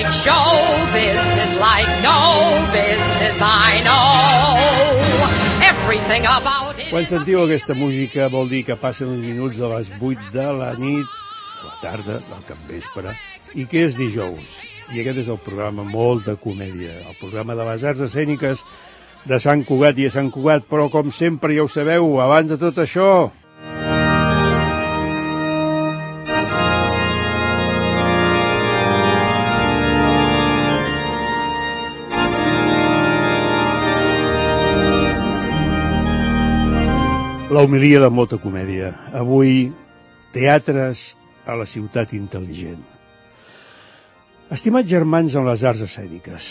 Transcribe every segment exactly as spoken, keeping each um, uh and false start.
like show business, like no business I know. Everything about it. Quan sentiu aquesta música vol dir que passen uns minuts a les vuit de la nit, a la tarda, del capvespre, i que és dijous. I aquest és el programa Molta Comèdia, el programa de les arts escèniques de Sant Cugat i a Sant Cugat, però com sempre ja ho sabeu, abans de tot això... La homilia de Molta Comèdia. Avui, teatres a la ciutat intel·ligent. Estimats germans en les arts escèniques,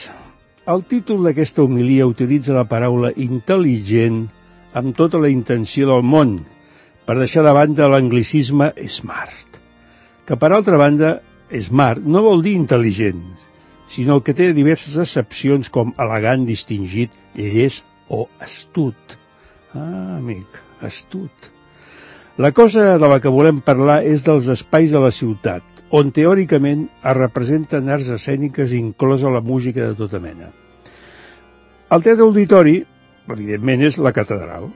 el títol d'aquesta homilia utilitza la paraula intel·ligent amb tota la intenció del món, per deixar de banda l'anglicisme smart, que per altra banda, smart no vol dir intel·ligent, sinó que té diverses accepcions com elegant, distingit, llest o astut. Ah, amic, astut. La cosa de la que volem parlar és dels espais de la ciutat, on teòricament es representen arts escèniques inclosa la música de tota mena. El teatre auditori, evidentment, és la catedral,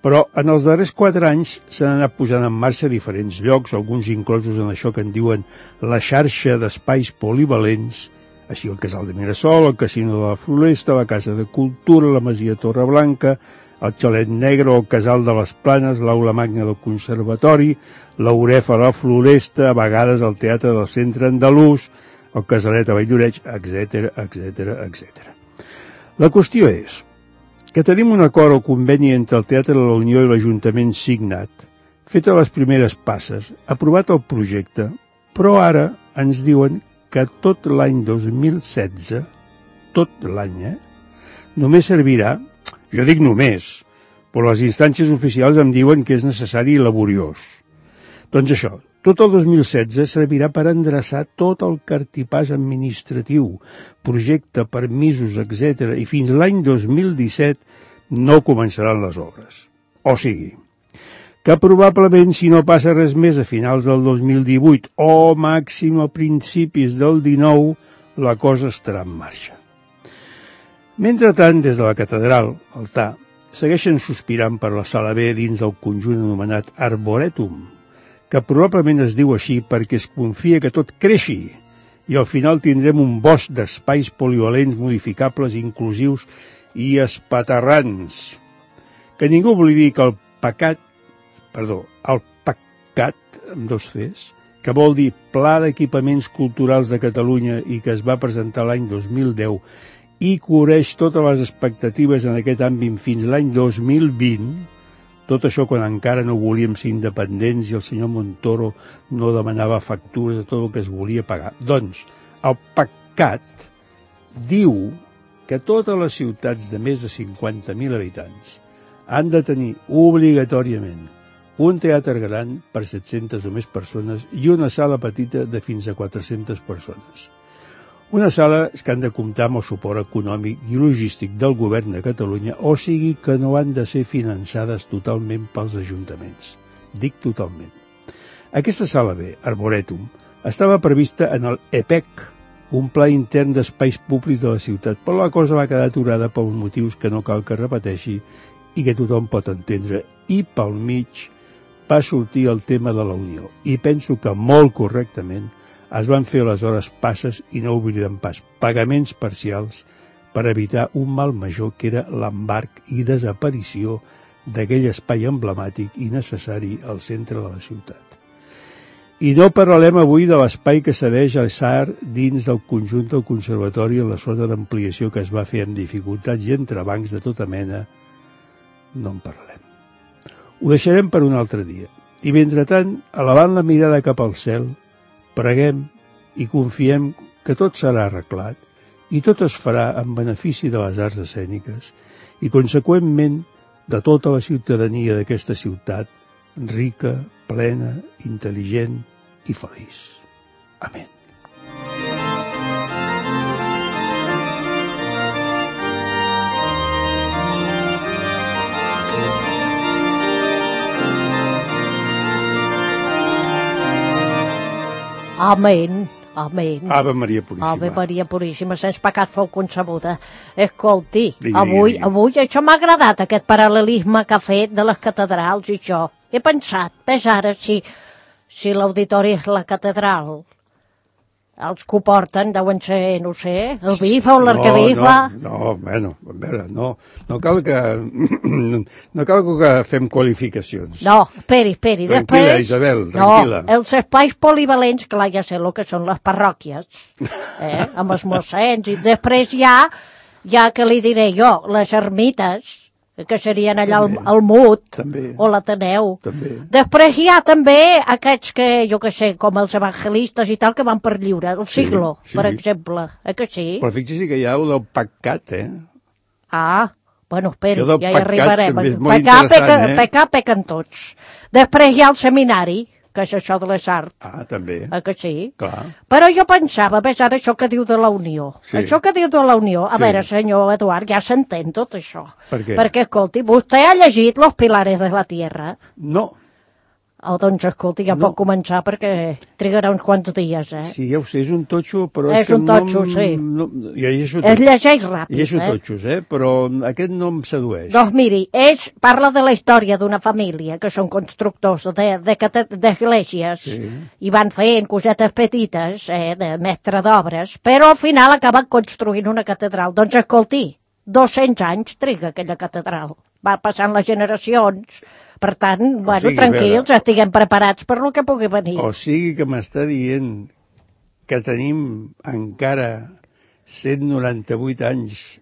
però en els darrers quatre anys s'han anat posant en marxa a diferents llocs, alguns inclosos en això que en diuen la xarxa d'espais polivalents, així el Casal de Mirasol, el Casino de la Floresta, la Casa de Cultura, la Masia Torreblanca, el Xalet Negre, el Casal de les Planes, l'Aula Magna del Conservatori, l'Aurefa a la Floresta, a vegades el Teatre del Centre Andalús, el Casalet a Valldoreix, etcètera, etcètera, etcètera. La qüestió és que tenim un acord o conveni entre el Teatre de la Unió i l'Ajuntament signat, fet a les primeres passes, aprovat el projecte, però ara ens diuen que tot l'any dos mil setze, tot l'any, eh, només servirà. Jo dic només, però les instàncies oficials em diuen que és necessari i laboriós. Doncs això, tot el dos mil setze servirà per endreçar tot el cartipàs administratiu, projecte, permisos, etcètera, i fins l'any dos mil disset no començaran les obres. O sigui, que probablement si no passa res més a finals del dos mil divuit o màxim a principis del dinou, la cosa estarà en marxa. Mentrestant, des de la catedral, altar, segueixen sospirant per la sala B dins del conjunt anomenat Arboretum, que probablement es diu així perquè es confia que tot creixi i al final tindrem un bosc d'espais polivalents, modificables, inclusius i espaterrans. Que ningú oblidi que el pecat, perdó, el PACCAT, amb dos Cs, que vol dir Pla d'Equipaments Culturals de Catalunya i que es va presentar l'any dos mil deu i cobreix totes les expectatives en aquest àmbit fins l'any dos mil vint, tot això quan encara no volíem ser independents i el senyor Montoro no demanava factures de tot el que es volia pagar. Doncs el PACCAT diu que totes les ciutats de més de cinquanta mil habitants han de tenir obligatòriament un teatre gran per set-centes o més persones i una sala petita de fins a quatre-centes persones. Una sala que han de comptar amb el suport econòmic i logístic del govern de Catalunya, o sigui que no han de ser finançades totalment pels ajuntaments. Dic totalment. Aquesta sala B, Arboretum, estava prevista en el E P E C, un pla intern d'espais públics de la ciutat, però la cosa va quedar aturada pels motius que no cal que repeteixi i que tothom pot entendre. I pel mig va sortir el tema de la Unió. I penso que molt correctament es van fer les hores passes i no oblidem pas pagaments parcials per evitar un mal major que era l'embarc i desaparició d'aquell espai emblemàtic i necessari al centre de la ciutat. I no parlarem avui de l'espai que cedeix a S A R dins del conjunt del conservatori en la zona d'ampliació que es va fer amb dificultats i entrebancs de tota mena. No en parlarem. Ho deixarem per un altre dia. I mentrestant, elevant la mirada cap al cel, preguem i confiem que tot serà arreglat i tot es farà en benefici de les arts escèniques i, conseqüentment, de tota la ciutadania d'aquesta ciutat rica, plena, intel·ligent i feliç. Amén. Amén, Amén. Ave Maria Puríssima. Ave Maria Puríssima, sense pecat fou concebuda. Escolti, Digui, avui, digui. avui això m'ha agradat, aquest paral·lelisme que ha fet de les catedrals i això. He pensat, ves ara, si, si l'auditori és la catedral, els que ho porten deuen ser, no sé, el bifa o l'arquebifa. No, no, no, bueno, a veure, no, no cal que, no cal que fem qualificacions. No, esperi, esperi. Tranquil·la, Després, Isabel, tranquil·la. No, els espais polivalents, clar, ja sé el que són les parròquies, eh, amb els mossens, i després ja, ja que li diré jo, les ermites, que serien allà al, al Mut, També. o l'Ateneu. També. Després hi ha també aquests que, jo que sé, com els evangelistes i tal, que van per lliure, el Sí, siglo, sí. per exemple, eh que sí? Però fixi que hi ha el del pecat, eh? Ah, bueno, esperi, Això del ja hi pecat arribarem. també és molt Pecar, interessant, peca, eh? pecar, pecen tots. Després hi ha el seminari, que és això de les arts, Ah, també, eh que sí? clar. Però jo pensava, ves ara això que diu de la Unió. Sí. Això que diu de la Unió, a Sí. veure, senyor Eduard, ja s'entén tot això. Per què? Perquè, escolti, vostè ha llegit Los Pilares de la Tierra? No, Oh, doncs, escolti, ja No. pot començar perquè trigarà uns quants dies, eh? sí, ja ho sé, és un totxo, però És és que un totxo, no... em- sí. No, jo llegeixo Es tot. llegeix ràpid, Llegeixo eh? totxos, eh? Però aquest no em sedueix. Doncs miri, és, parla de la història d'una família que són constructors de- de cate- d'esglésies Sí. i van fent cosetes petites, eh, de mestre d'obres, però al final acaben construint una catedral. Doncs escolti, dos-cents anys triga aquella catedral. Va passant les generacions. Per tant, bueno, sigui, tranquils, veure- estiguem preparats per lo que pugui venir. O sigui que m'està dient que tenim encara cent noranta-vuit anys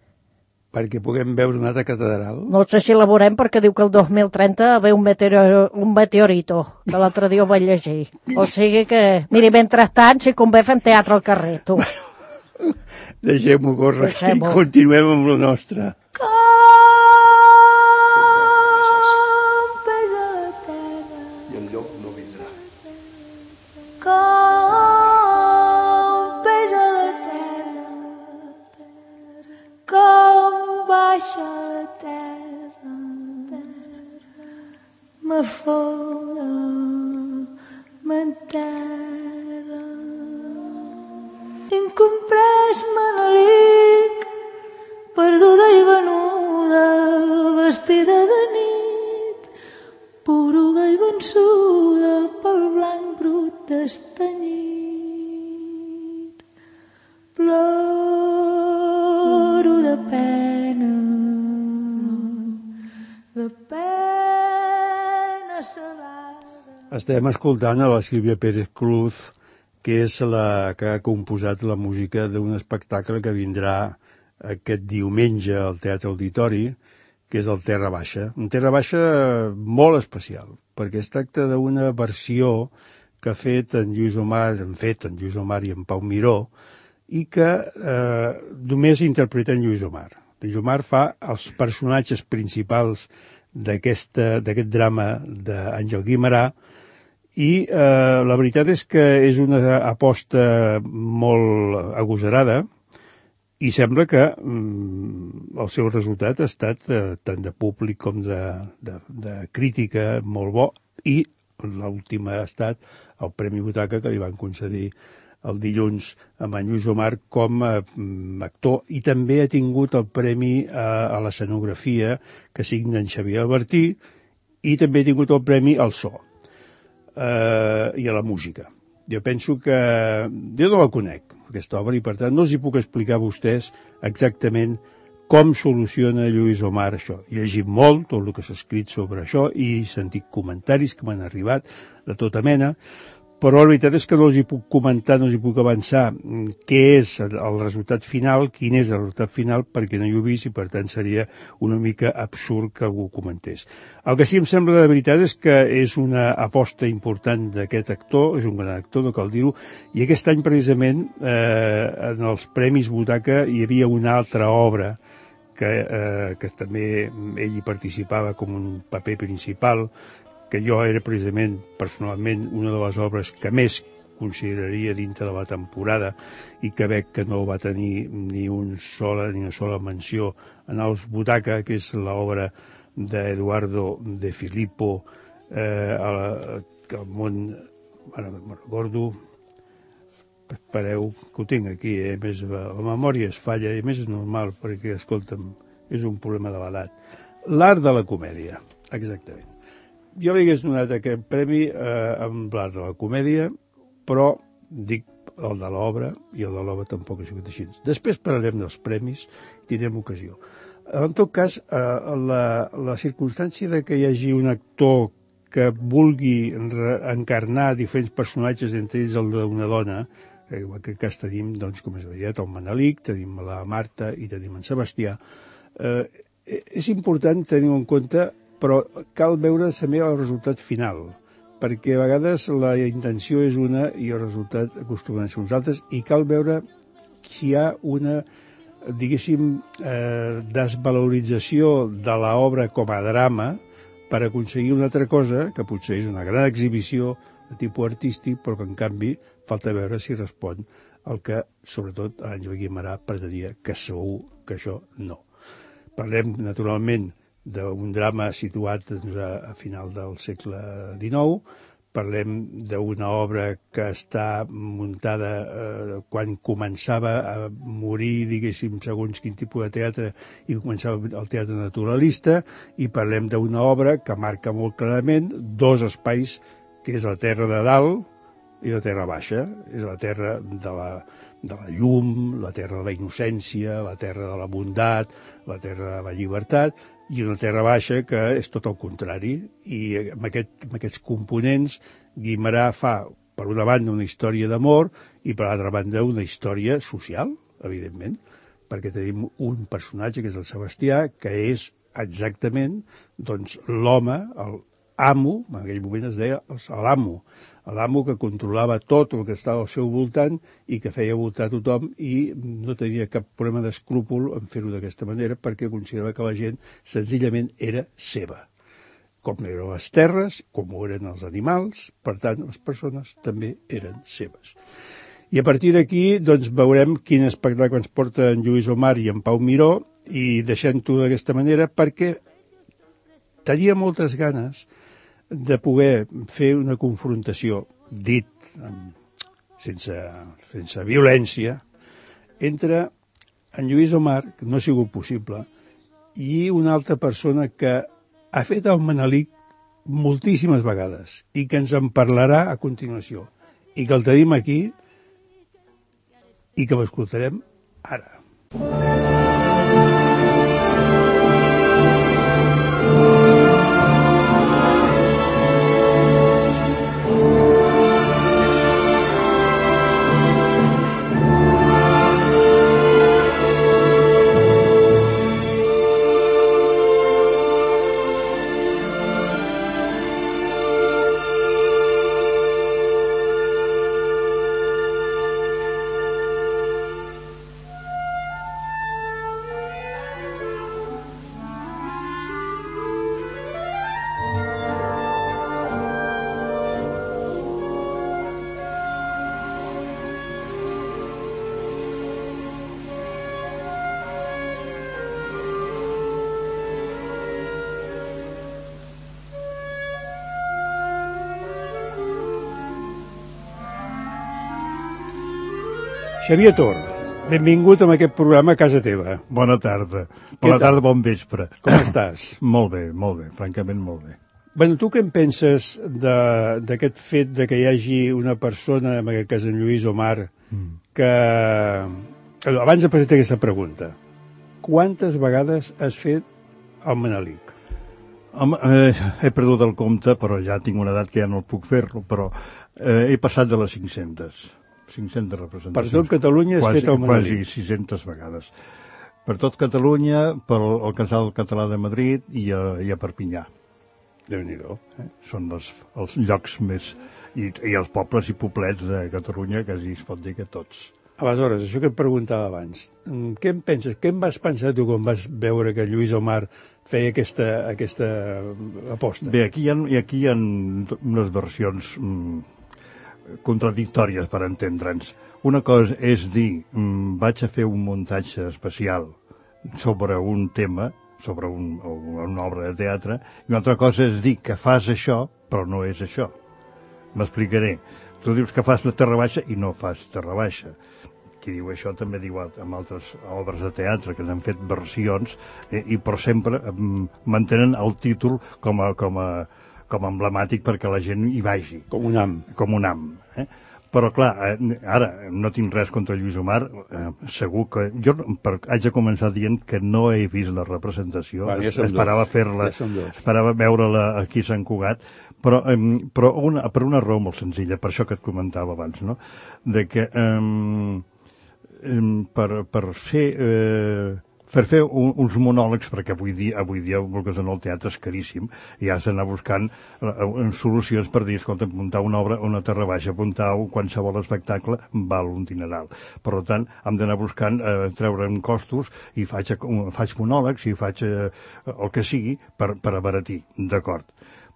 perquè puguem veure una altra catedral? No sé si la veurem perquè diu que el dos mil trenta ve un, meteoro, un meteorito, que l'altre dia ho vaig llegir. O sigui que, miri, mentrestant, si convé, fem teatre al carrer, tu. Deixem-ho córrer i Deixem-ho. continuem amb lo nostre. I el llop no vindrà. Com pesa la terra, com baixa la terra, m'afoga, m'enterra. Incomprès Manelic, perduda i venuda, vestida de nit, poruga i vençuda pel blanc brut destanyit. Ploro de pena, de pena salada. Estem escoltant a la Sílvia Pérez Cruz, que és la que ha composat la música d'un espectacle que vindrà aquest diumenge al Teatre Auditori, que és el Terra Baixa. Un Terra Baixa molt especial, perquè es tracta d'una versió que ha fet en Lluís Omar, han fet en Lluís Omar i en Pau Miró, i que eh, només interpreta en Lluís Omar. Lluís Omar fa els personatges principals d'aquest drama d'Àngel Guimerà, i eh, la veritat és que és una aposta molt agosarada i sembla que mm, el seu resultat ha estat eh, tant de públic com de, de, de crítica molt bo, i l'última ha estat el Premi Butaca que li van concedir el dilluns amb en Lluís Omar com a actor, i també ha tingut el premi a, a l'escenografia que signa en Xavier Albertí, i també ha tingut el premi al so eh, i a la música. Jo penso que... Jo no la conec, aquesta obra, i per tant no els hi puc explicar a vostès exactament com soluciona Lluís Omar això. He llegit molt tot el que s'ha escrit sobre això i he sentit comentaris que m'han arribat de tota mena, però la veritat és que no els hi puc comentar, no els hi puc avançar què és el resultat final, quin és el resultat final, perquè no hi ho he vist i per tant seria una mica absurd que algú ho comentés. El que sí em sembla de veritat és que és una aposta important d'aquest actor, és un gran actor, no cal dir-ho, i aquest any precisament eh, en els Premis Butaca hi havia una altra obra que, eh, que també ell hi participava com un paper principal, que jo era precisament, personalment, una de les obres que més consideraria dintre de la temporada i que veig que no va tenir ni, un sola, ni una sola menció en els Butaca, que és l'obra d'Eduardo de Filippo, eh, el, el món, ara me'n recordo, espereu, que ho tinc aquí, eh? A més, la memòria es falla, i a més és normal, perquè, escolta'm, és un problema de l'edat. L'art de la comèdia, exactament. Jo li hagués donat aquest premi eh, amb l'art de la comèdia, però dic el de l'obra, i el de l'obra tampoc ha sigut així. Després parlarem dels premis i tindrem ocasió. En tot cas, eh, la, la circumstància de que hi hagi un actor que vulgui encarnar diferents personatges, entre ells el d'una dona, que en aquest cas tenim, doncs, com és veritat, el Manelic, tenim la Marta i tenim en Sebastià. Eh, és important tenir-ho en compte, però cal veure també el resultat final, perquè a vegades la intenció és una i el resultat acostumen a ser uns altres, i cal veure si hi ha una, diguéssim, eh, desvalorització de l'obra com a drama per aconseguir una altra cosa, que potser és una gran exhibició de tipus artístic, però que en canvi falta veure si respon al que, sobretot, Àngel Guimerà pretenia, que segur que això no. Parlem, naturalment, d'un drama situat doncs, a, a final del segle dinou, parlem d'una obra que està muntada eh, quan començava a morir, diguéssim, segons quin tipus de teatre, i començava el teatre naturalista, i parlem d'una obra que marca molt clarament dos espais, que és la terra de dalt i la terra baixa. És la terra de la, de la llum, la terra de la innocència, la terra de la bondat, la terra de la llibertat, i una terra baixa que és tot el contrari, i amb, aquest, amb aquests components Guimerà fa, per una banda, una història d'amor i per l'altra banda una història social, evidentment, perquè tenim un personatge, que és el Sebastià, que és exactament doncs, l'home, el amo, en aquell moment es deia l'amo, l'amo que controlava tot el que estava al seu voltant i que feia voltar tothom, i no tenia cap problema d'escrúpol en fer-ho d'aquesta manera, perquè considerava que la gent senzillament era seva. Com eren les terres, com ho eren els animals, per tant, les persones també eren seves. I a partir d'aquí doncs, veurem quin espectacle ens porta en Lluís Omar i en Pau Miró, i deixem-ho d'aquesta manera perquè tenia moltes ganes de poder fer una confrontació, dit sense, sense violència, entre en Lluís Omar, que no ha sigut possible, i una altra persona que ha fet el Manelic moltíssimes vegades i que ens en parlarà a continuació, i que el tenim aquí i que l'escoltarem ara. Xavier Tor, benvingut a aquest programa a casa teva. Bona tarda. Bona tarda, bon vespre. Com estàs? Molt bé, molt bé, francament molt bé. Bueno, tu què en penses d'aquest fet de que hi hagi una persona, en aquest cas en Lluís Omar, que... Abans de presentar aquesta pregunta, quantes vegades has fet el Manelic? Home, eh, he perdut el compte, però ja tinc una edat que ja no el puc fer-lo, però eh, he passat de les cinc-centes. cinc-centes representacions. Per tot Catalunya has fet el Manelic. Quasi sis-centes vegades. Per tot Catalunya, per el Casal Català de Madrid i a, i a Perpinyà. Déu-n'hi-do. Eh? Són els, els llocs més... I, I els pobles i poblets de Catalunya, quasi es pot dir que tots. Aleshores, això que et preguntava abans, què en penses? Què en vas pensar tu quan vas veure que Lluís Omar feia aquesta, aquesta aposta? Bé, aquí hi ha, aquí hi ha unes versions... Mm, contradictòries, per entendre'ns. Una cosa és dir, mmm, vaig a fer un muntatge especial sobre un tema, sobre un, una obra de teatre, i una altra cosa és dir que fas això, però no és això. M'explicaré. tu dius que fas la terra baixa i no fas terra baixa. Qui diu això també diu amb altres obres de teatre que n'han fet versions, eh, i però sempre eh, mantenen el títol com a, com a, com a emblemàtic perquè la gent hi vagi. Com un am. Com un am. Eh? Però, clar, eh, ara no tinc res contra Lluís Omar, eh, segur que... Jo per, haig de començar dient que no he vist la representació, Va, ja esperava fer-la, ja esperava veure-la aquí a Sant Cugat, però, eh, però una, per una raó molt senzilla, per això que et comentava abans, no? De que... Eh, Per, per fer eh, per fer un, uns monòlegs, perquè avui dia, avui dia vulguis o no, el teatre és caríssim i has d'anar buscant eh, solucions per dir, escolta, muntar una obra, una terra baixa, muntar un qualsevol espectacle val un dineral. Per tant, hem d'anar buscant eh, treure'n costos i faig, faig monòlegs i faig eh, el que sigui per, per abaratir, d'acord.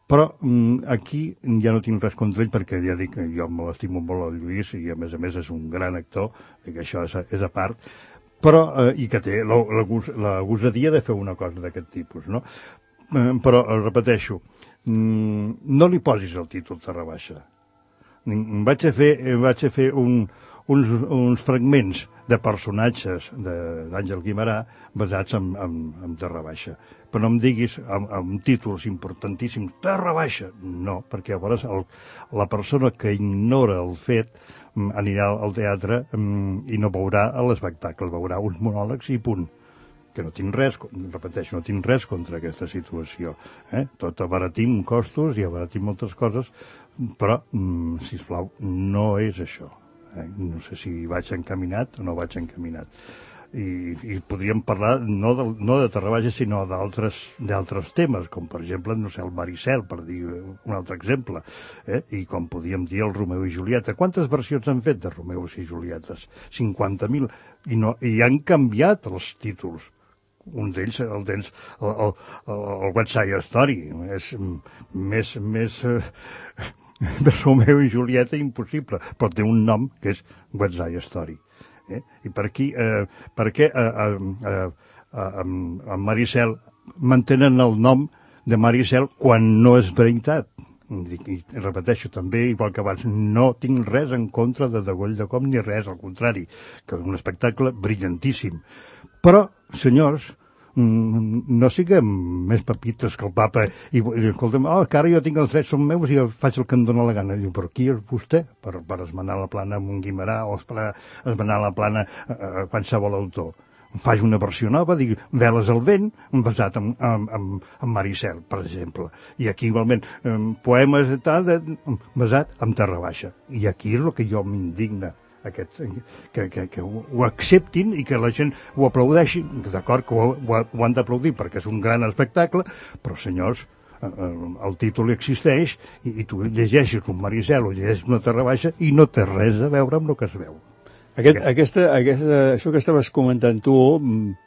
Però mm, aquí ja no tinc res contra ell perquè ja dic que jo m'estimo molt el Lluís i a més a més és un gran actor i que això és a, és a part, però, eh, i que té la, la, la gosadia de fer una cosa d'aquest tipus, no? Eh, però, repeteixo, mm, no li posis el títol Terra Baixa. Vaig a fer, vaig a fer un, uns, uns fragments de personatges d'Àngel Guimerà basats en, en, en Terra Baixa. Però no em diguis amb, amb títols importantíssims, Terra Baixa. No, perquè llavors el, la persona que ignora el fet anirà al teatre i no veurà l'espectacle, veurà uns monòlegs i punt. Que no tinc res, repeteixo, no tinc res contra aquesta situació. Eh? Tot abaratim costos i abaratim moltes coses, però, mm, sisplau, no és això. Eh? No sé si vaig encaminat o no vaig encaminat. I, i podríem parlar no de, no de Terra Baixa, sinó d'altres d'altres temes, com per exemple, no sé, el Maricel, per dir un altre exemple, eh? I com podríem dir el Romeu i Julieta. Quantes versions han fet de Romeu i Julietes? cinquanta mil. I, no, i han canviat els títols. Un d'ells, el d'ells, el, el, el West Side Story, és més, més eh, Romeu i Julieta impossible, però té un nom que és West Side Story. Eh? I per aquí, eh, per què eh, eh, eh, en Maricel mantenen el nom de Maricel quan no és veritat? I, i repeteixo també, igual que abans, no tinc res en contra de Degoll de Com ni res, al contrari, que és un espectacle brillantíssim. Però, senyors, no siguem més papites que el papa i, i escolta'm, oh, que ara jo tinc els drets són meus i faig el que em dóna la gana. Diu, però qui és vostè per, per esmenar la plana amb un Guimerà o per esmenar la plana a, a qualsevol autor? Faig una versió nova, dic, Veles al vent, basat en, en, en, en Maricel, per exemple. I aquí igualment, poemes tal, basat en Terra Baixa. I aquí és el que jo m'indigna. Aquest, que, que, que ho acceptin i que la gent ho aplaudeixi, d'acord, que ho, ho, ho han d'aplaudir perquè és un gran espectacle, però senyors, el títol existeix i, i tu llegeixes un Maricel o llegeixes una Terra Baixa i no té res a veure amb el que es veu. Aquest, aquesta, aquesta, això que estaves comentant tu,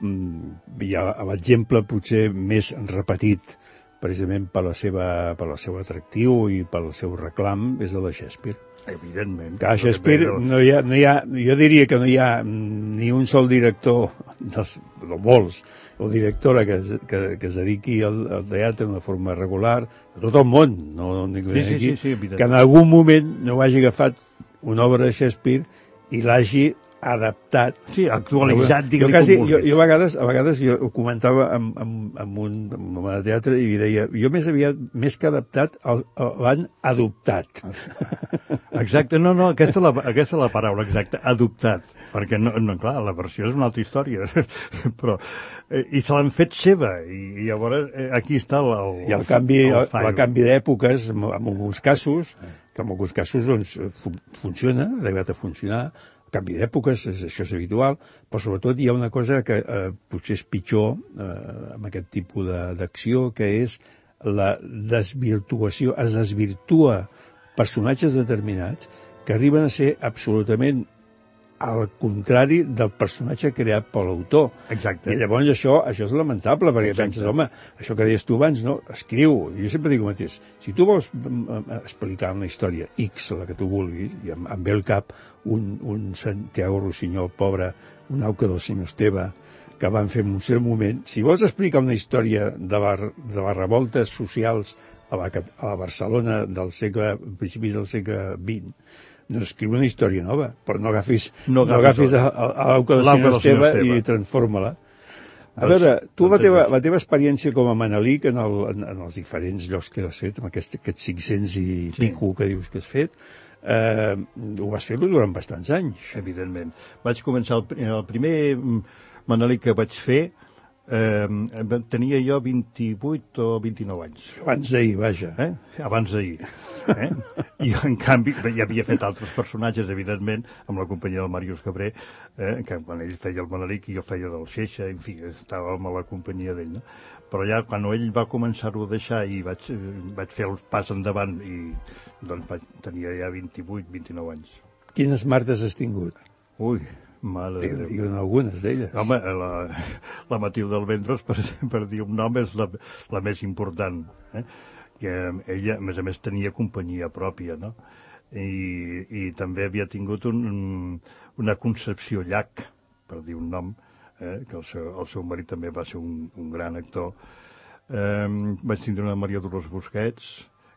hi ha l'exemple potser més repetit precisament per la seva, per el seu atractiu i pel seu reclam, és el de Shakespeare. Evidentment. Que a Shakespeare no hi ha, no hi ha, jo diria que no hi ha ni un sol director, dels, no molts, o directora que, que, que es dediqui al, al teatre d'una forma regular, de tot el món, no, no dic sí, sí, aquí, sí, sí, que en algun moment no hagi agafat una obra de Shakespeare i l'hagi adaptat. Sí, actualitzat, digue-li com vulguis. Jo, jo a vegades, a vegades jo ho comentava amb, amb, amb un amb un de teatre i deia, jo més aviat, més que adaptat, l'han adoptat. Exacte, no, no, aquesta és la, aquesta és la paraula exacta, adoptat, perquè, no, no, clar, la versió és una altra història, però, eh, i se l'han fet seva, i, i llavors eh, aquí està el, el, I el canvi, el, el, el canvi d'èpoques, en, en alguns casos, que en alguns casos doncs, fu funciona, ha arribat a funcionar, el canvi d'èpoques, això és habitual, però sobretot hi ha una cosa que eh, potser és pitjor eh, amb aquest tipus d'acció, que és la desvirtuació, es desvirtua personatges determinats que arriben a ser absolutament al contrari del personatge creat per l'autor. Exacte. I llavors això, això és lamentable, perquè Exacte. penses, home, això que deies tu abans, no? Escriu. Jo sempre dic el mateix. Si tu vols explicar una història X, la que tu vulguis, i em, em ve al cap un, un Santiago Rossinyol, pobre, un auca del senyor Esteve, que van fer en un cert moment, si vols explicar una història de, la, de les revoltes socials a la, a la Barcelona del segle, principis del segle vint, No escriu una història nova, però no agafis, No no agafis agafis a, a, a l'auca del l'auca senyor del senyor Esteve Esteve. i transforma-la. A Doncs- veure, tu la doncs teva, és la teva experiència com a Manelic en, el, en, en els diferents llocs que has fet, amb aquest, aquests cinc-cents i Sí. pico que dius que has fet, eh, ho vas fer durant bastants anys. Evidentment. Vaig començar, el, pri- el primer mm, Manelic que vaig fer, eh, tenia jo vint-i-vuit o vint-i-nou anys. Abans d'ahir, vaja. Eh? Abans d'ahir. Eh? I en canvi, bé, ja havia fet altres personatges, evidentment, amb la companyia del Màrius Cabré, eh? que quan ell feia el Manelic i jo feia del Xeixa, en fi, estàvem a la companyia d'ell, no? Però ja quan ell va començar-ho a deixar i vaig, eh, vaig fer el pas endavant i doncs vaig, tenia ja vint-i-vuit, vint-i-nou anys. Quines martes has tingut? Ui, mare de Déu. Digue'n algunes d'elles. Home, la, la Matilde Almendros, per, per dir un nom, és la, la més important. Eh? Que ella, a més a més, tenia companyia pròpia, no? I, i també havia tingut un, una Concepció Llach, per dir un nom, eh? Que el seu, el seu marit també va ser un, un gran actor. Eh, vaig tindre una Maria Dolors Busquets,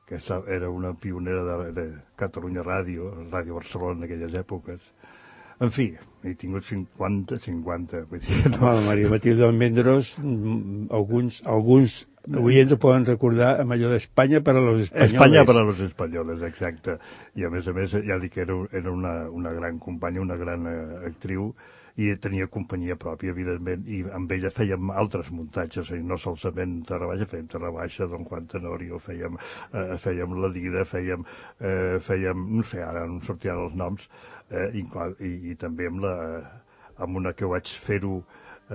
que era una pionera de, de Catalunya Ràdio, Ràdio Barcelona en aquelles èpoques. En fi, he tingut cinquanta, cinquanta. Vull dir, no? Home, Maria Matilde Almendros, mm, alguns, alguns oients ho poden recordar amb allò d'Espanya per a los espanyoles. Espanya per a los espanyoles, exacte. I a més a més, ja dic que era, era una, una gran companya, una gran eh, actriu, i tenia companyia pròpia, evidentment, i amb ella fèiem altres muntatges, i no solament Terra Baixa, fèiem Terra Baixa, Don Juan Tenorio, fèiem, eh, fèiem La Dida, fèiem, eh, fèiem, no sé, ara no em sortiran els noms, eh, i, i, i també amb, la, amb una que vaig fer-ho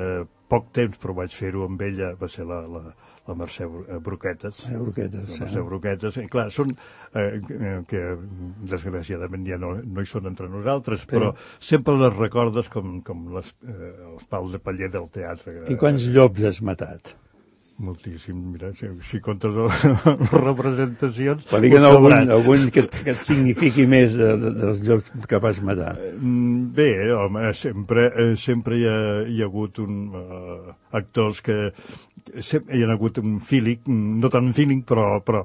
eh, poc temps, però vaig fer-ho amb ella, va ser la, la, la Mercè Broquetes. Eh, Broquetes, la Mercè eh. Broquetes. I clar, són eh, que desgraciadament ja no, no hi són entre nosaltres, Sí. però sempre les recordes com, com les, eh, els pals de paller del teatre. I quants llops has matat? Moltíssim, mira, si, si comptes les representacions... Per dir que ho no, algun, sabràs. algun que, que et signifiqui més de, de, dels llops que vas matar. Mm, Bé, home, sempre, eh, sempre hi ha, hi ha hagut un, uh, actors que sempre hi ha hagut un feeling, no tan feeling, però, però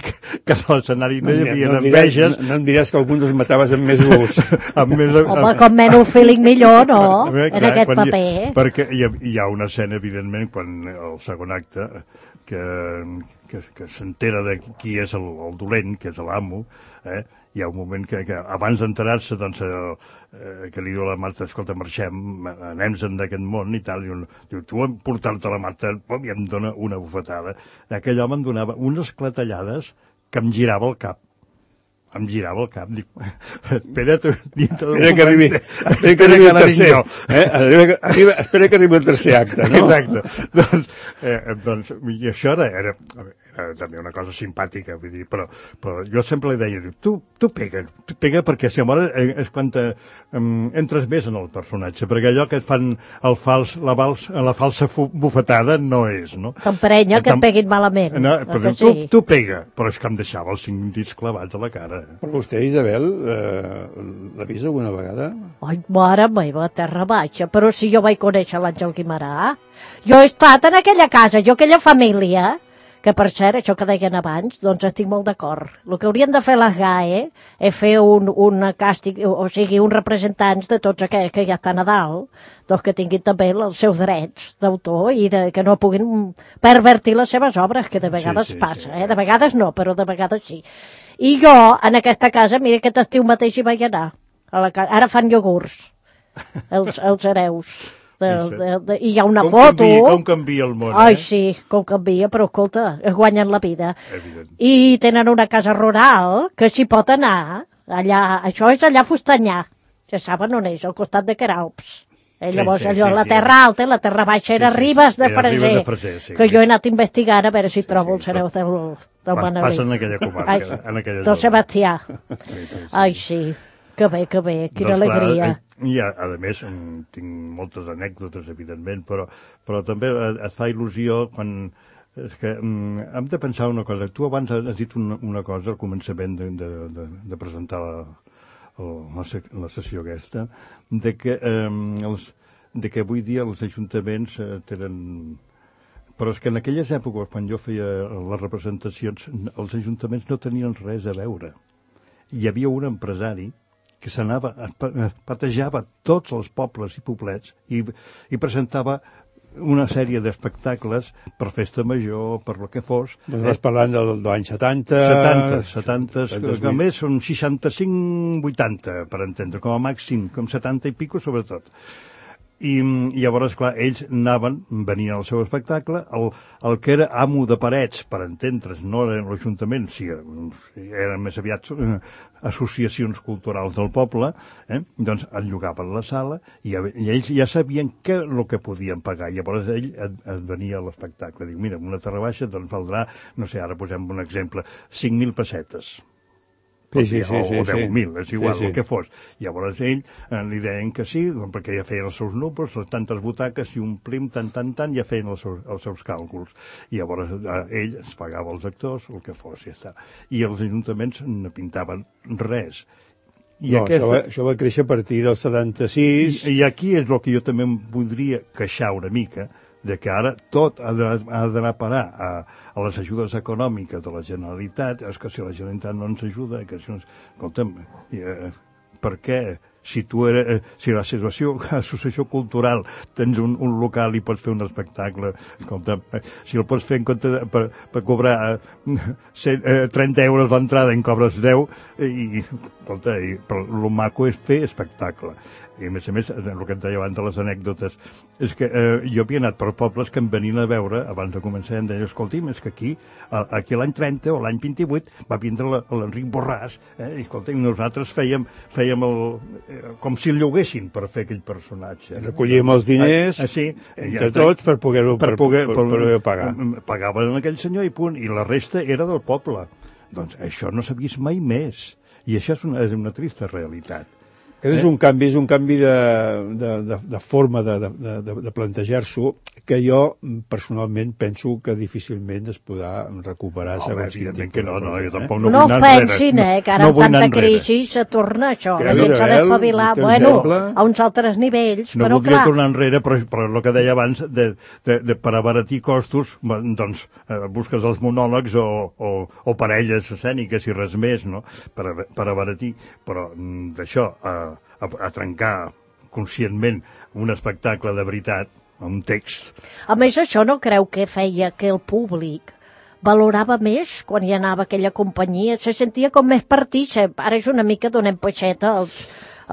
que, que a l'escenari no hi havia no, em diràs, enveges. no, no em diràs que alguns els mataves amb més gust. amb més, Home, com menys feeling millor, no? Bé, En clar, aquest quan paper. Hi, perquè hi ha, hi ha una escena, evidentment, quan el segon acte, que, que, que s'entera de qui és el, el dolent, que és l'amo, eh? Hi ha un moment que, que abans d'enterar-se, doncs, eh, que li diu a la Marta, escolta, marxem, anem-se'n d'aquest món i tal, i un, diu, tu em portar-te la Marta, pom, i em dona una bufetada. Aquell home em donava unes clatellades que em girava el cap. Em girava el cap, dic, espera't dintre d'un Espera que arribi, espera que arribi el tercer, eh? Arriba, arriba, espera que arribi el tercer acte, no? Exacte. doncs, eh, doncs, i això era, era, era també una cosa simpàtica, vull dir, però, però jo sempre li deia, tu, tu pega, tu pega perquè si amor és quan te, um, entres més en el personatge, perquè allò que et fan el fals, la, vals, la falsa fu, bufetada no és, no? T'emprenya que et peguin malament. No, o però que tu, sí? tu pega, però és que em deixava els cinc dits clavats a la cara. Però vostè, Isabel, eh, l'ha vist alguna vegada? Ai, mare meva, terra baixa, però si jo vaig conèixer l'Àngel Guimarà. Jo he estat en aquella casa, jo aquella família, que per cert, això que deien abans, doncs estic molt d'acord. El que haurien de fer les G A E és fer un, un càstig, o sigui, uns representants de tots aquells que ja estan a dalt, doncs que tinguin també els seus drets d'autor i de, que no puguin pervertir les seves obres, que de vegades Sí, sí, passa, sí. eh? De vegades no, però de vegades sí. I jo, en aquesta casa, mira, aquest estiu mateix hi vaig anar. A la casa. Ara fan iogurts, els, els hereus. De, de, de, I hi ha una com foto... Canvia, com canvia el món, Ai, eh? sí, com canvia, però escolta, es guanyen la vida. Evident. I tenen una casa rural que s'hi pot anar. Allà, això és allà a Fustanyà. Ja saben on és, al costat de Queralps. Eh, Sí, llavors, sí, allò, sí, la sí. terra alta i la terra baixa era Sí, sí, Ribes sí. de Era Freser, Ribes de Freser, sí. que jo he anat investigant a veure si trobo sí, els hereus del, del Pas, Manelic. passa en aquella comarca, Ai, en aquella del zona. Sebastià. Sí, sí, sí. Ai, sí, que bé, que bé, quina Doncs, clar, alegria. eh, I, a, a més, em, tinc moltes anècdotes, evidentment, però, però també et, et fa il·lusió quan... És que um, hem de pensar una cosa. Tu abans has dit una, una cosa al començament de, de, de, de presentar la, la, la sessió aquesta, de que, um, els, de que avui dia els ajuntaments eh, tenen... Però és que en aquelles èpoques, quan jo feia les representacions, els ajuntaments no tenien res a veure. Hi havia un empresari que s'anava, es patejava tots els pobles i poblets i, i presentava una sèrie d'espectacles per festa major, per lo que fos. Doncs vas parlant del, de l'any setanta... setanta, setanta, que a més són seixanta-cinc vuitanta, per entendre, com a màxim, com setanta i pico, sobretot. I, i llavors, clar, ells anaven, venien al seu espectacle, el, el que era amo de parets, per entendre's, no era l'Ajuntament, sí, eren més aviat eh, associacions culturals del poble, eh, doncs el llogaven la sala i, i ells ja sabien què el que podien pagar. Llavors ell et, et venia a l'espectacle, diu, mira, una terrabaixa doncs valdrà, no sé, ara posem un exemple, cinc mil pessetes. Sí, sí, sí, o, sí, o deu mil, és igual, sí, sí. el que fos. Llavors ell eh, li deien que sí, doncs, perquè ja feien els seus números, les tantes butaques, i omplim tant, tant, tant, ja feien els seus, els seus càlculs. I llavors eh, ell es pagava els actors, el que fos, ja està. I els ajuntaments no pintaven res. I no, aquesta... això, va, això va créixer a partir del setanta-sis... I, I aquí és el que jo també em voldria queixar una mica, de que ara tot ha d'anar a parar a, a les ajudes econòmiques de la Generalitat. És que si la Generalitat no ens ajuda, que si no... Escolta'm, eh, per què? Si tu eres, eh, si la situació, associació cultural, tens un, un local i pots fer un espectacle, escolta, eh, si el pots fer en compte de, per, per cobrar eh, cent, eh, trenta euros l'entrada en cobres deu, eh, i, escolta, i, però el maco és fer espectacle. I a més a més, el que et deia abans de les anècdotes, és que eh, jo havia anat per pobles que em venien a veure, abans de començar, em deien, escolti'm, és que aquí, a, aquí l'any trenta o l'any vint-i-vuit, va vindre l'Enric Borràs, eh, i escolti'm, nosaltres fèiem, fèiem el, eh, com si el lloguessin per fer aquell personatge. Recollíem els diners, ah, sí, entre ja, tots, per poder-ho per poder, per, per, per, per pagar. Pagaven aquell senyor i punt, i la resta era del poble. Doncs això no s'ha vist mai més. I això és una, és una trista realitat. Aquest és un canvi, és un canvi de, de, de, de forma de, de, de, de plantejar-s'ho que jo personalment penso que difícilment es podrà recuperar. No, bé, evidentment que no, no, jo tampoc no, no vull anar enrere. No pensin, eh, que ara no amb tanta crisi se torna això. La gent s'ha d'espavilar, bueno, a uns altres nivells, no però clar... No voldria tornar enrere, però, però el que deia abans, de, de, de, per abaratir costos, doncs eh, busques els monòlegs o, o, o parelles escèniques i res més, no?, per, per abaratir, però d'això, a, a, a trencar conscientment un espectacle de veritat, un text. A més, això no creu que feia que el públic valorava més quan hi anava aquella companyia? Se sentia com més partícip. Ara és una mica donem peixeta als...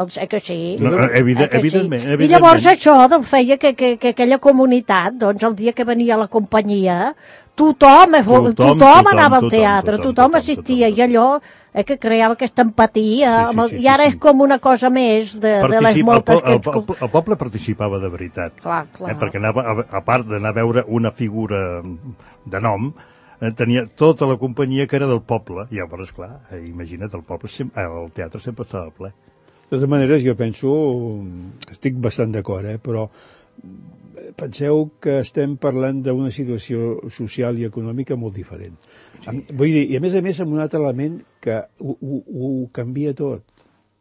Els, eh que sí. No, evident, eh que evidentment, sí. evidentment. I llavors això doncs, feia que, que, que aquella comunitat, doncs, el dia que venia la companyia, tothom, tothom, tothom, tothom anava al teatre, tothom, tothom, tothom assistia, tothom, tothom. I allò eh, que creava aquesta empatia, sí, sí, sí, i ara sí, sí. és com una cosa més de, de les moltes... El, el, el, el poble participava de veritat, clar, clar. Eh, perquè anava, a, a part d'anar a veure una figura de nom, eh, tenia tota la companyia que era del poble, i llavors, clar, eh, imagina't, el, poble, el teatre sempre estava ple. De totes maneres, jo penso, estic bastant d'acord, eh, però penseu que estem parlant d'una situació social i econòmica molt diferent. Sí. Vull dir, i a més a més amb un altre element que ho, ho, ho canvia tot,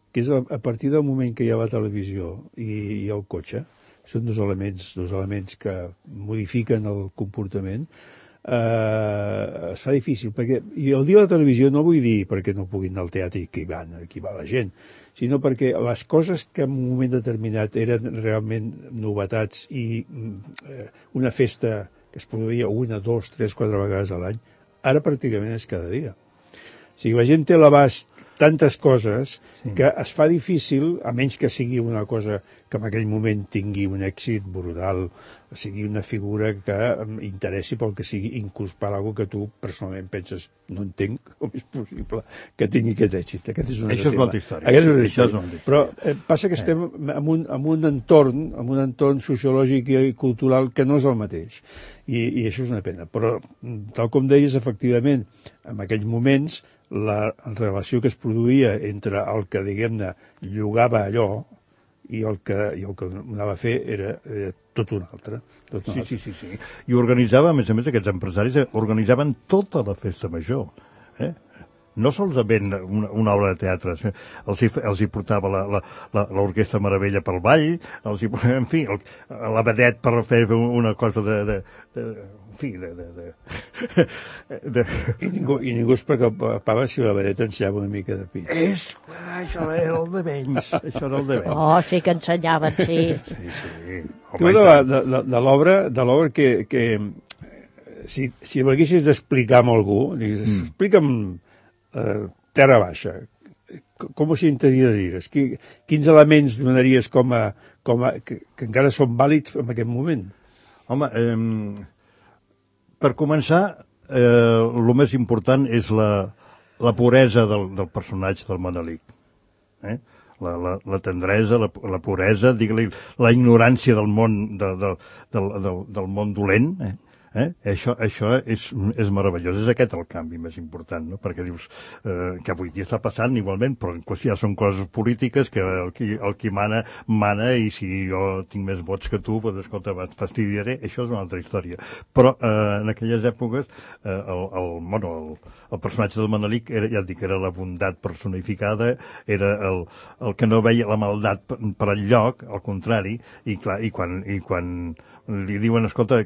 que és a, a partir del moment que hi ha la televisió i, i el cotxe, són dos elements, dos elements que modifiquen el comportament. Uh, es fa difícil, perquè i el dia de la televisió no vull dir perquè no puguin anar al teatre i que hi van, aquí va la gent, sinó perquè les coses que en un moment determinat eren realment novetats i uh, una festa que es produïa una, dos, tres, quatre vegades a l'any, ara pràcticament és cada dia. O sigui, la gent té a l'abast tantes coses sí. que es fa difícil, a menys que sigui una cosa que en aquell moment tingui un èxit brutal, sigui una figura que interessi pel que sigui, inclús per alguna que tu personalment penses, no entenc com és possible que tingui aquest èxit. Aquest és una Això és molta història. Aquest és una història. És Però eh, passa que estem en un, en un entorn, en un entorn sociològic i cultural que no és el mateix. I, i això és una pena. Però, tal com deies, efectivament, en aquells moments, la relació que es produïa entre el que, diguem-ne, llogava allò i el que, i el que anava a fer era, era tot un altre. Tot un sí, altre. sí, sí, sí. I organitzava, a més a més, aquests empresaris organitzaven tota la festa major. Eh? no solament una, una obra de teatre, els hi, els hi portava l'Orquestra Meravella pel ball, els hi, en fi, el, la vedet per fer una cosa de... de, de en fi, de... de, de, de... I, ningú, I ningú es preocupava si la vedet ensenyava una mica de pit. És, això era el de menys, això era el de menys. Oh, sí que ensenyaven, sí. Sí, sí. Tu de, la, de, de, de l'obra de l'obra que, que si, si m'haguessis d'explicar amb algú, digues, mm. explica'm eh, Terra Baixa, com ho sintetitzes? Quins elements donaries com a, com a que, que encara són vàlids en aquest moment? Home, eh, per començar, eh, el més important és la, la puresa del, del personatge del Manelic. Eh? La, la, la tendresa, la, la puresa, digue-li, la ignorància del món, de, de, del, del, del món dolent, eh? Eh? Això, això és, és meravellós. És aquest el canvi més important, no? Perquè dius eh, que avui dia està passant igualment, però ja són coses polítiques que el qui, el qui mana, mana, i si jo tinc més vots que tu, doncs, escolta, et fastidiaré. Això és una altra història. Però eh, en aquelles èpoques eh, el, el, bueno, el, el personatge del Manelic era, ja et dic, era la bondat personificada, era el, el que no veia la maldat per, per enlloc, al contrari, i clar, i quan, i quan li diuen, escolta,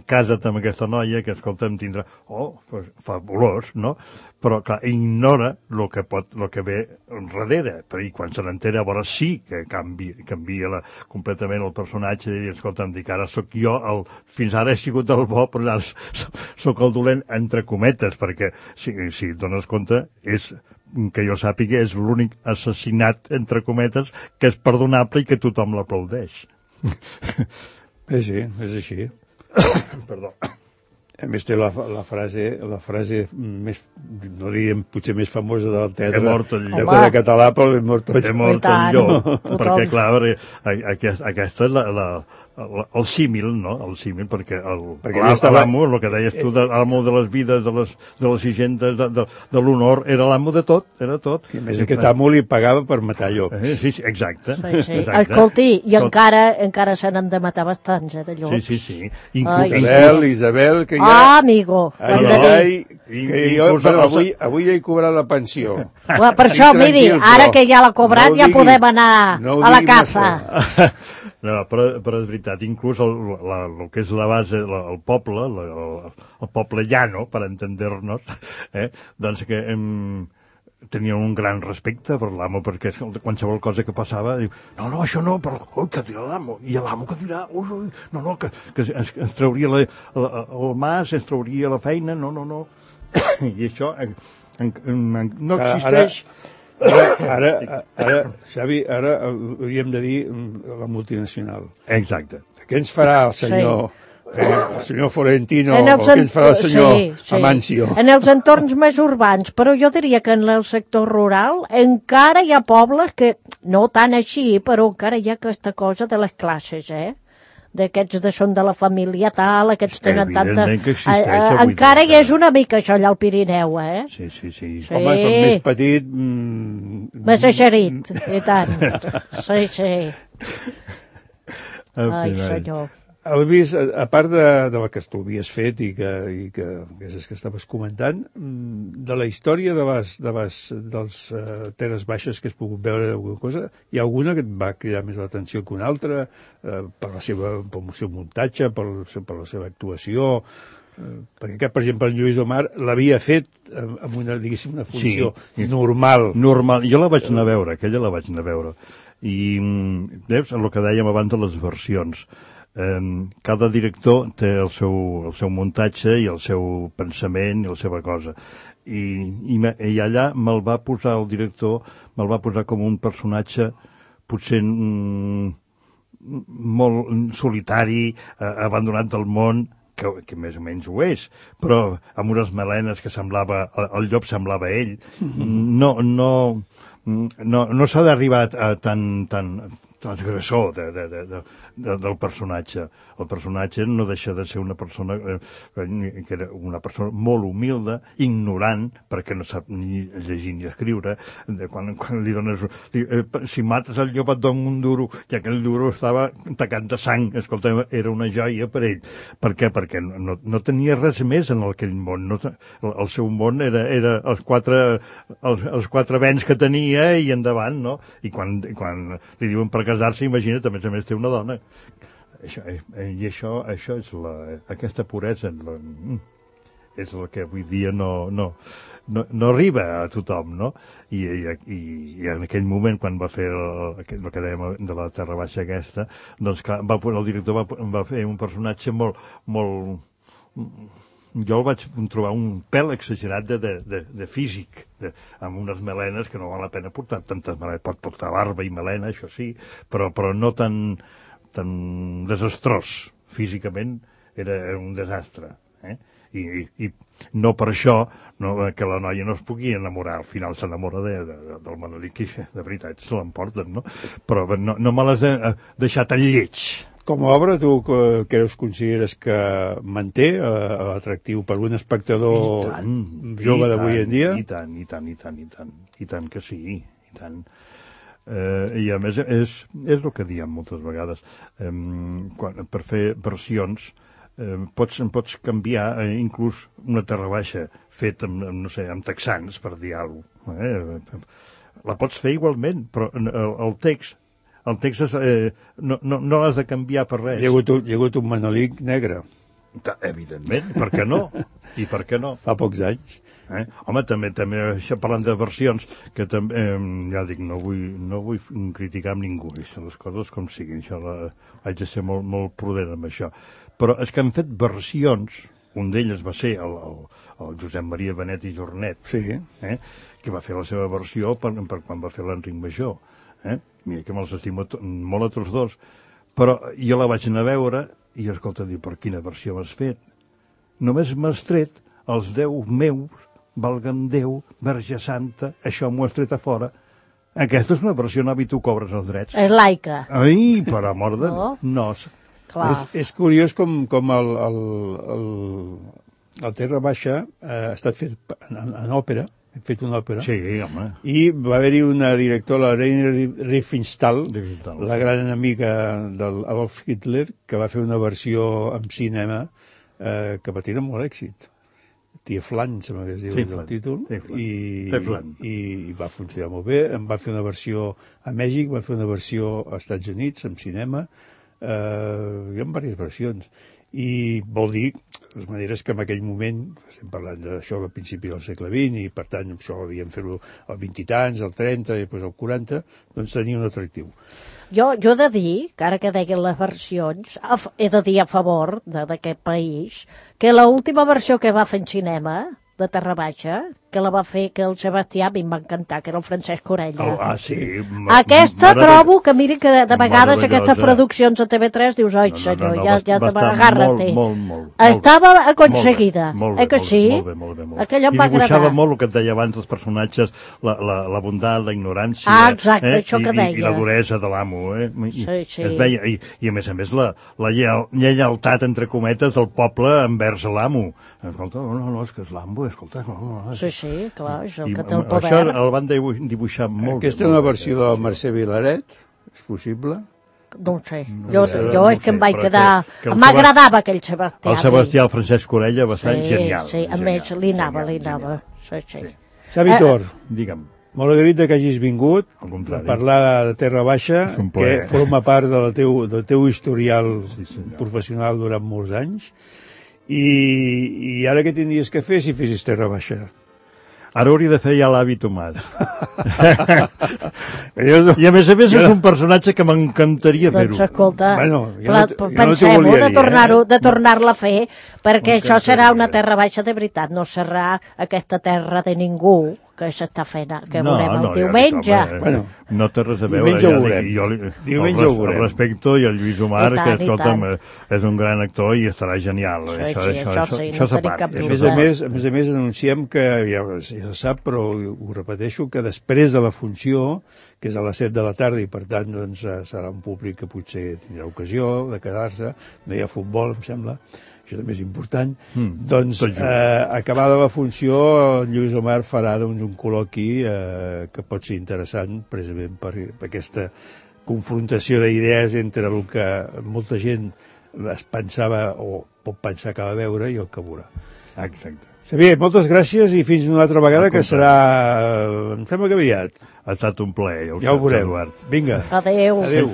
casa't amb aquesta noia, que, escolta, em tindrà... Oh, pues, fabulós, no? Però, clar, ignora el que pot, el que ve darrere. Però, i quan se n'entera, llavors sí que canvia, canvia la, completament el personatge, i, escolta, em dic, ara sóc jo, el, fins ara he sigut el bo, però ara sóc el dolent, entre cometes, perquè, si, si et dones compte, és que jo sàpiga, és l'únic assassinat, entre cometes, que és perdonable i que tothom l'aplaudeix. Eh, sí, és així. Perdó. A més té la, la frase, la frase més, no diríem potser més famosa del teatre, he mort el llop. de català, però he mort el llop. He mort el llop, perquè clar, aquesta, aquesta és la, la, el, el símil, no? El símil, perquè l'amo, el que deies tu, l'amo de les vides, de les, de les higendes, de, de, de l'honor, era l'amo de tot, era tot. I a més aquest amo li pagava per matar llops. Eh, sí, sí, exacte. Sí, sí. exacte. Escolti, i tot. encara, encara se n'han de matar bastants, eh, de llops. Sí, sí, sí. Inclús, Isabel, Isabel, que ja... Ah, amigo. Ai, no, ai, que jo, però avui, avui ja he cobrat la pensió. Well, per això, miri, ara que ja l'ha cobrat, no ja digui, podem anar no a la caza. No, però, però és veritat, inclús el, la, el que és la base, la, el poble, la, el, el poble llano, per entendre-nos, eh, doncs que em, tenien un gran respecte per l'amo, perquè qualsevol cosa que passava, diu, no, no, això no, però, ui, què dirà l'amo? I l'amo què dirà? Ui, ui, no, no, que, que ens, ens trauria la, la, el mas, ens trauria la feina, no, no, no. I això en, en, en, no existeix... Ara... Ara, ara, ara, Xavi, ara hauríem de dir la multinacional. Exacte. Què ens farà el senyor, sí. eh, el senyor Florentino, o què ens farà el senyor sí, sí. Amancio? En els entorns més urbans, però jo diria que en el sector rural encara hi ha pobles que, no tant així, però encara hi ha aquesta cosa de les classes, eh? D'aquests de són de la família tal, aquests tenen tanta... Eh, eh, encara hi és una mica això allà al Pirineu, eh? Sí, sí, sí. sí. Home, com més petit... Mm... Més eixerit, i tant. Sí, sí. Ai, senyor. Heu vist, a part de, de la que tu havies fet i que, i que, que és que estaves comentant, de la història de les, de les, dels uh, Terres Baixes que has pogut veure alguna cosa, hi ha alguna que et va cridar més l'atenció que una altra, uh, per, la seva, per el seu muntatge, per, per la seva actuació, uh, perquè aquest, per exemple, en Lluís Omar l'havia fet amb una, diguéssim, una funció sí, normal. Normal. Jo la vaig anar a veure, aquella la vaig anar a veure. I, veus, el que dèiem abans de les versions, Um, cada director té el seu, el seu muntatge i el seu pensament i la seva cosa i, i, i allà me'l va posar el director, me'l va posar com un personatge potser mm, molt solitari, eh, abandonat del món, que, que més o menys ho és, però amb unes melenes que semblava, el, el llop semblava ell. No, no, no, no s'ha d'arribar a tan, tan, transgressor de, de, de, de, de, del personatge. El personatge no deixa de ser una persona eh, que era una persona molt humilde, ignorant, perquè no sap ni llegir ni escriure. De quan, quan li dones... Li, eh, si mates el llop et dono un duro, i aquell duro estava tacat de sang. Escolta, era una joia per ell. Per què? Perquè no, no tenia res més en aquell món. No, el, el seu món era, era els, quatre, els, els quatre béns que tenia i endavant, no? I quan, quan li diuen per casar-se, imagina't, a més a més té una dona. Això, eh, I això, això és la, aquesta puresa la, és el que avui dia no, no, no, no arriba a tothom, no? I, i, i en aquell moment, quan va fer el, el que dèiem de la Terra Baixa aquesta, doncs clar, va, el director va, va fer un personatge molt, molt... Jo el vaig trobar un pèl exagerat de, de, de, de físic, de, amb unes melenes que no val la pena portar tantes melenes. Pot portar barba i melena, això sí, però, però no tan, tan desastrós. Físicament era, era un desastre. Eh? I, i, I no per això no, que la noia no es pugui enamorar. Al final s'enamora de, de, del Manolic, que de veritat se l'emporten, no? Però no, no me les he deixat tan lleig. Com a obra, tu creus, consideres que manté eh, l'atractiu per un espectador tant, jove d'avui en dia? I tant, i tant, i tant, i tant, i tant que sí, i tant. Eh, I a més, és, és el que diem moltes vegades. Eh, quan, per fer versions, eh, pots, pots canviar eh, inclús una Terra Baixa fet amb, amb, no sé, amb texans, per dir alguna cosa. Eh? La pots fer igualment, però el, el text El text és, eh, no, no, no l'has de canviar per res. Hi ha hagut un, hi ha hagut un Manolic negre. Evidentment, per què no? I per què no? Fa pocs anys. Eh? Home, també, també això parlant de versions, que també, eh, ja dic, no vull, no vull criticar amb ningú, això, les coses com siguin, això la, haig de ser molt, molt prudent amb això. Però és que han fet versions, un d'ells va ser el, el, el Josep Maria Benet i Jornet, sí. eh? Que va fer la seva versió per, per quan va fer l'Enric Major. Eh? Mira que me'ls estimo molt a tots dos, però jo la vaig anar a veure i, escolta, diu, per quina versió m'has fet? Només m'has tret els deu meus, valga'm Déu, Verge Santa, això m'ho has tret a fora. Aquesta és una versió nova i tu cobres els drets. És laica. Ai, per amor de... No? No. Clar. És, és curiós com, com el, el, el, el Terra Baixa eh, ha estat fet en, en òpera, hem fet una òpera. Sí, home. I va haver-hi una directora, la Rainer Riefenstahl, Riefenstahl, la gran amiga del Adolf Hitler, que va fer una versió en cinema eh, que va tenir molt èxit. Tia Flan, sembla que es diu el títol, i, i, i va funcionar molt bé. Em va fer una versió a Mèxic, va fer una versió als Estats Units, en cinema. Eh, hi ha diverses versions. I vol dir, de les maneres que en aquell moment, estem parlant d'això al principi del segle vint, i per tant això havíem fer-ho al vint i tants, al trenta, i després al quaranta, doncs tenia un atractiu. Jo, jo he de dir, que ara que deien les versions, he de dir a favor d'aquest país, que l'última versió que va fer en cinema, de Terra Baixa, que la va fer, que el Sebastià, a mi em va encantar, que era el Francesc Orella. Oh, ah, sí. Aquesta trobo que, miri, que de, de vegades aquestes produccions a T V tres dius, oi, no, no, senyor, no, no, ja, ja agárrate. Molt, molt, molt, Estava aconseguida. Molt bé, eh que sí? Molt bé, molt bé, molt bé. Aquella em I va agradar. dibuixava molt el que et deia abans dels personatges, la, la, la bondat, la ignorància, ah, exacte, eh? això que I, deia. I la duresa de l'amo, eh? I, sí, sí. Es veia, i, i a més a més la, la lleialtat, entre cometes, del poble envers l'amo. Escolta, no, no, no, és que és l'amo, escolta, no, no, no. Sí, sí, clar, és el I, que té el poder. Això el van dibuixar molt bé. Aquesta és una versió de la Mercè Vilaret, és possible? No ho sé, jo, sé, jo no és sé, que em vaig però quedar... que- que el M'agradava aquell Sebastià. El Sebastià, el Francesc Orella, bastant sí, genial. Sí, a genial, més, li anava, genial, li anava. genial. Sí, sí. Sí. Xavi Tor, Digue'm. molt agraït que hagis vingut Al a contrari. parlar de Terra Baixa, És un que plaer. forma part del teu, del teu historial Sí, senyor. professional durant molts anys. I, I ara què tindries que fer si fessis Terra Baixa? Ara hauria de fer ja l'avi Tomàs. Jo no, I a més a més Jo és no- un personatge que m'encantaria Doncs fer-ho. escolta, Bueno, jo pla- no t- jo no t'ho pensem-ho volia de dir, tornar-ho, eh? de tornar-la a fer, perquè això serà M'encantaria. una terra baixa de veritat, no serà aquesta terra de ningú, que que s'està fent, que No, veurem el no, ja diumenge. dic, home, Bueno, no té res a veure. diumenge ho ja veurem. dic, jo li, Diumenge el, ho veurem. El respecto i el Lluís Omar, I tant, que, i escolta'm, tant. eh, és un gran actor i estarà genial. Sí, això, sí, això, això això, sí, això no s'ha tenim part, cap això A dubte. més s'ha a part. més, a més a més anunciem que, ja, ja se sap, però ho repeteixo, que després de la funció, que és a les set de la tarda i per tant doncs, eh, serà un públic que potser tindrà ocasió de quedar-se, no hi ha futbol, em sembla, això també és important, Mm, doncs tot just. eh, acabada la funció el Lluís Omar farà doncs, un col·loqui eh, que pot ser interessant precisament per, per aquesta confrontació d'idees entre el que molta gent es pensava o pot pensar que va veure i el que veurà. Exacte. Xavier, moltes gràcies i fins una altra vegada, que serà, em sembla que aviat. Ha estat un plaer. Ja ho Ja ho saps, veurem. Eduard. Vinga. Adéu. Adéu.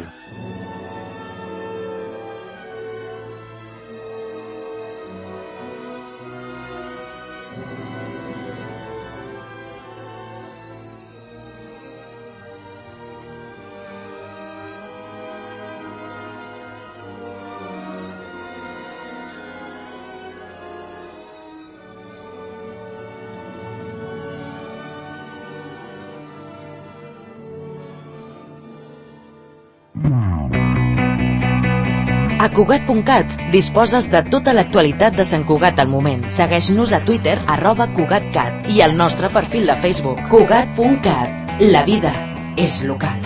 A Cugat punt cat disposes de tota l'actualitat de Sant Cugat al moment. Segueix-nos a Twitter, arroba CugatCat, i al nostre perfil de Facebook, Cugat punt cat. La vida és local.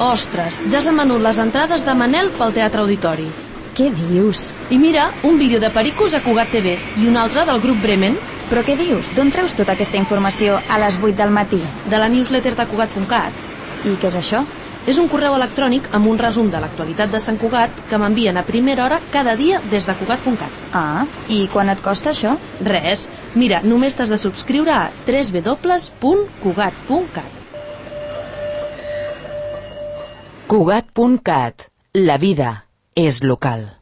Ostres, ja s'han venut les entrades de Manel pel Teatre Auditori. Què dius? I mira, un vídeo de Pericos a Cugat T V i un altre del grup Bremen, Però què dius? D'on treus tota aquesta informació a les vuit del matí? de la newsletter de Cugat punt cat. I què és això? És un correu electrònic amb un resum de l'actualitat de Sant Cugat que m'envien a primera hora cada dia des de Cugat punt cat. Ah, i quan et costa això? Res, mira, només t'has de subscriure a w w w punt cugat punt cat. Cugat punt cat. La vida és local.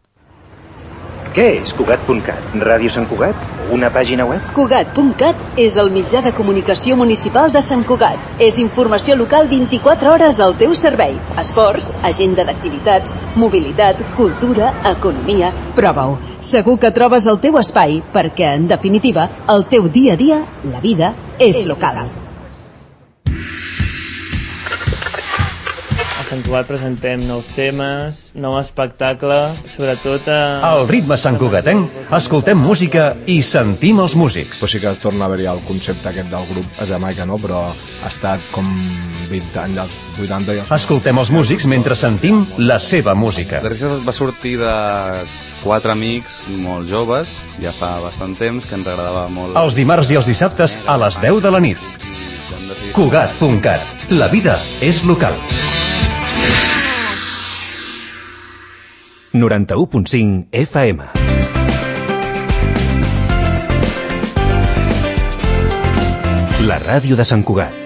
Què és Cugat punt cat? Ràdio Sant Cugat? Una pàgina web? Cugat punt cat és el mitjà de comunicació municipal de Sant Cugat. És informació local vint-i-quatre hores al teu servei. Esports, agenda d'activitats, mobilitat, cultura, economia... Prova-ho. Segur que trobes el teu espai, perquè, en definitiva, el teu dia a dia, la vida, és local. A Sant Cugat presentem nous temes, nou espectacle, sobretot a... Al ritme santcugatenc, escoltem música i sentim els músics. Però sí que torna a haver-hi el concepte aquest del grup a Jamaica, no? Però ha estat com vint anys, als vuitanta... I els... Escoltem els músics mentre sentim la seva música. The Reset va sortir de quatre amics molt joves, ja fa bastant temps, que ens agradava molt... Els dimarts i els dissabtes a les deu de la nit. Cugat punt cat. La vida és local. noranta-u punt cinc F M. La ràdio de Sant Cugat.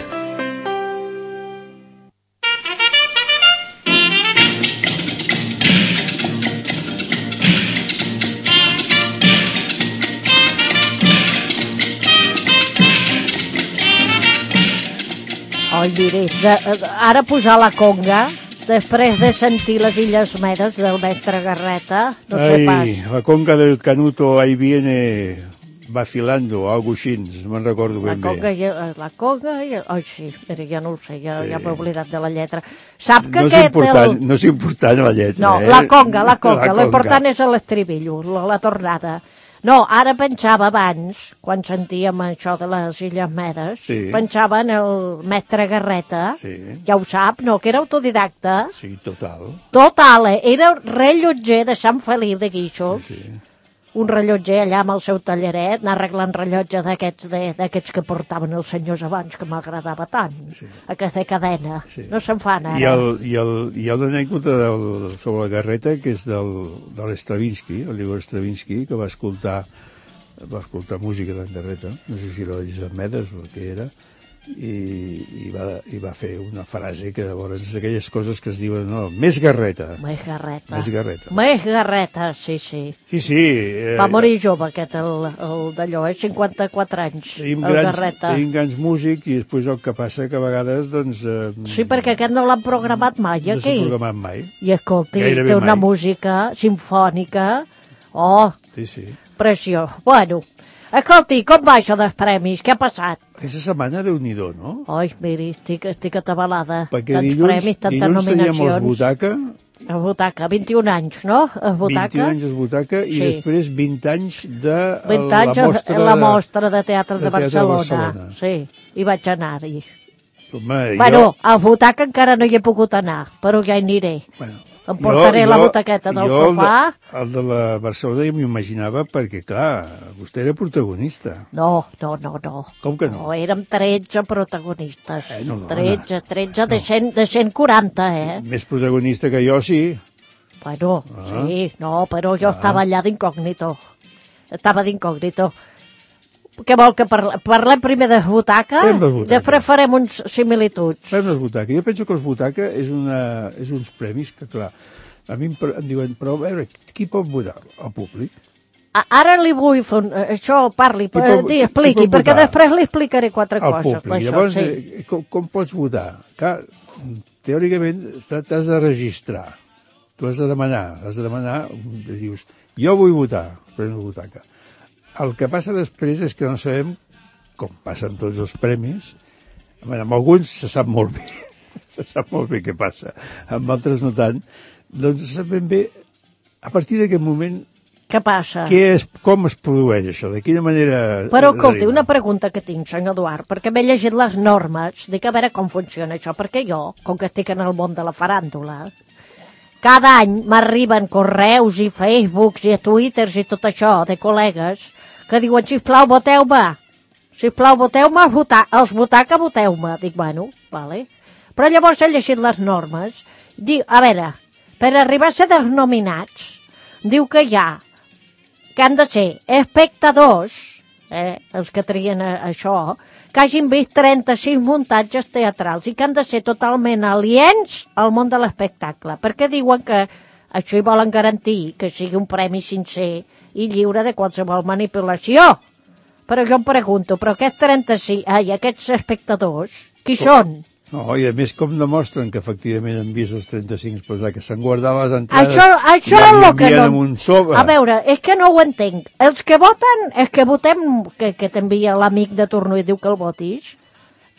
Oi, miri, de, ara posar la conga, després de sentir les Illes Medes del mestre Garreta, no sé pas. Ai, la conga del Canuto ahí viene vacilando, algo així, no me'n recordo La ben conga, bé. i, la conga i... Ai, sí, mira, ja no ho sé, ja, ja m'he oblidat de la lletra. Sap que No és, aquest... important, el... no és important la lletra, No, eh? la conga, la conga, La l'important és l'estribillo, la, la tornada. No, ara pensava abans, quan sentíem això de les Illes Medes, Sí. pensava en el mestre Garreta, Sí. ja ho sap, no?, que era autodidacta. Sí, total. Total, eh? Era rellotger de Sant Feliu de Guíxols. Sí, sí. Un rellotger allà amb el seu talleret, anar arreglant rellotge d'aquests de, d'aquests que portaven els senyors abans, que m'agradava tant. Sí. Aquesta cadena. Sí. No se'n fan ara. I, el, i, el, hi ha una anècdota del, sobre la Garreta que és del, de l'Stravinsky, el Igor Stravinsky, que va escoltar va escoltar música d'en Garreta, no sé si era les Medes o el que era, i, i, va, i va fer una frase que llavors és aquelles coses que es diuen, no, més Garreta. Més Garreta. Més Garreta. Més Garreta, sí, sí. Sí, sí. Eh, Va morir jove aquest, el, el d'allò, eh? cinquanta-quatre anys, tenim el grans, Garreta. tenim grans músics i després el que passa que a vegades, doncs... Eh, Sí, perquè aquest no l'han programat mai, no aquí. s'ha programat mai. I escolti, Gairebé té una mai. música simfònica. Oh, Sí, sí. Pressió. Bueno, escolti, com va això dels premis? Què ha passat? Aquesta setmana, Déu-n'hi-do, no? Ai, miri, estic, estic atabalada. Perquè Tants dilluns, premis, tantes dilluns teníem els nominacions. Butaca, El Butaca, vint-i-un anys, no? El Butaca. vint-i-un anys els Butaca i Sí. després vint anys de vint la anys mostra, la mostra de teatre de, de, teatre Barcelona. de Barcelona. Sí, hi vaig anar-hi. Home, Bueno, jo, al Butaca encara no hi he pogut anar, però ja hi aniré. bueno, Em portaré jo- la jo- butaqueta del jo el de- sofà. El de la Barcelona ja m'ho imaginava perquè, clar, vostè era protagonista. No, no, no, no. Com que no? No, érem tretze protagonistes. Eh, no, no, tretze, tretze de, cent, de cent quaranta, eh? Més protagonista que jo, sí. Bueno, Ah. sí, no, però jo Ah. estava allà d'incògnito. Estava d'incògnito. Què vol que parlem? Parlem primer de Butaca? Fem les Butaca. Després farem uns similituds. Fem les Butaca. Jo penso que els Butaca és, una, és uns premis que, clar, a mi em, pre- em diuen, però a veure, qui pot votar? El públic. A- Ara li vull fer un, això, parli, Qui eh, pot- di, qui expliqui, pot perquè votar? després li explicaré quatre El coses. públic. Això, Llavors, sí. eh, com, com pots votar? Clar, teòricament t'ha- t'has de registrar. Tu has de demanar, has de demanar, dius, jo vull votar, Premi Butaca. El que passa després és que no sabem, com passa amb tots els premis, amb, amb alguns se sap molt bé, se sap molt bé què passa, amb altres no tant, doncs no sabem bé, a partir d'aquest moment, Què passa? què és, com es produeix això, de quina manera... Però, escolti, arriba? una pregunta que tinc, senyor Eduard, perquè m'he llegit les normes, dic a veure com funciona això, perquè jo, com que estic en el món de la faràndula, cada any m'arriben correus i Facebooks i Twitters i tot això de col·legues que diuen, sisplau, voteu-me, sisplau, voteu-me, els, vota els Butaca, voteu-me. Dic, bueno, vale. Però llavors he llegit les normes, diu, a veure, per arribar a ser dels nominats, diu que hi ha que han de ser espectadors, eh, els que trien a, això, que hagin vist trenta-sis muntatges teatrals i que han de ser totalment aliens al món de l'espectacle, perquè diuen que això hi volen garantir que sigui un premi sincer i lliure de qualsevol manipulació. Però jo em pregunto, però aquests trenta-sis, ai, aquests espectadors, qui Com? són? No, i a més com demostren que efectivament han vist els trenta-cinc, però que s'han guardat les entrades Això, això i és les el que envien no... amb un sobre. A veure, és que no ho entenc. Els que voten, els que votem, que, que t'envia l'amic de torno i diu que el votis,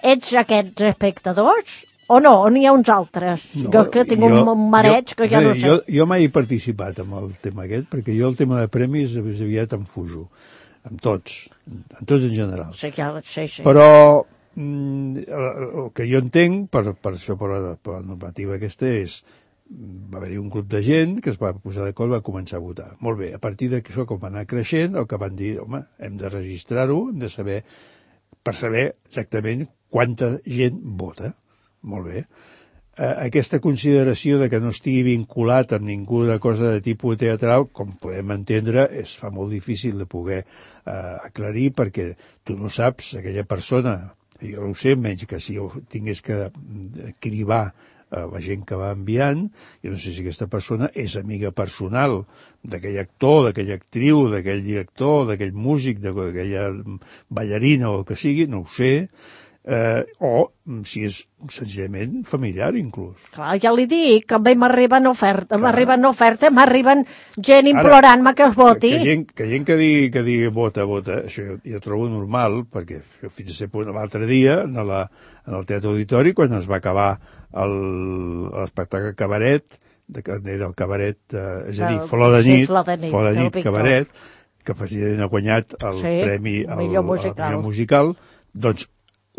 ets aquests espectadors o no? O n'hi ha uns altres? No, jo que tinc un, un mareig que ja bé, no sé. Jo, jo mai he participat en el tema aquest, perquè jo el tema de premis més aviat em fujo, amb tots, amb tots en general. Sí, ja, sí, sí. Però mm, el, el que jo entenc, per, per això, per la, per la normativa aquesta, és va haver-hi un grup de gent que es va posar d'acord i va començar a votar. Molt bé, a partir d'això, com va anar creixent, el que van dir, home, hem de registrar-ho, hem de saber, per saber exactament quanta gent vota. Molt bé. Eh, aquesta consideració de que no estigui vinculat amb ningú de cosa de tipus teatral, com podem entendre, es fa molt difícil de poder eh, aclarir, perquè tu no saps, aquella persona, jo no ho sé, menys que si jo tingués que cribar a la gent que va enviant, jo no sé si aquesta persona és amiga personal d'aquell actor, d'aquella actriu, d'aquell director, d'aquell músic, d'aquella ballarina o el que sigui, no ho sé, eh, o si és senzillament familiar inclús. Clar, ja li dic, que a mi m'arriben ofertes, m'arriben ofertes, m'arriben gent implorant-me que es voti. Que, que, gent, que gent que digui, que digui vota, vota, això jo, jo trobo normal, perquè jo fins a ser punt l'altre dia, en, la, en el Teatre Auditori, quan es va acabar l'espectacle Cabaret, de, era el Cabaret, eh, és a dir, Flor de nit, sí, Flor de nit, Flor de nit Víctor. Cabaret, que precisament ha guanyat el Sí, premi al millor musical. al millor musical, doncs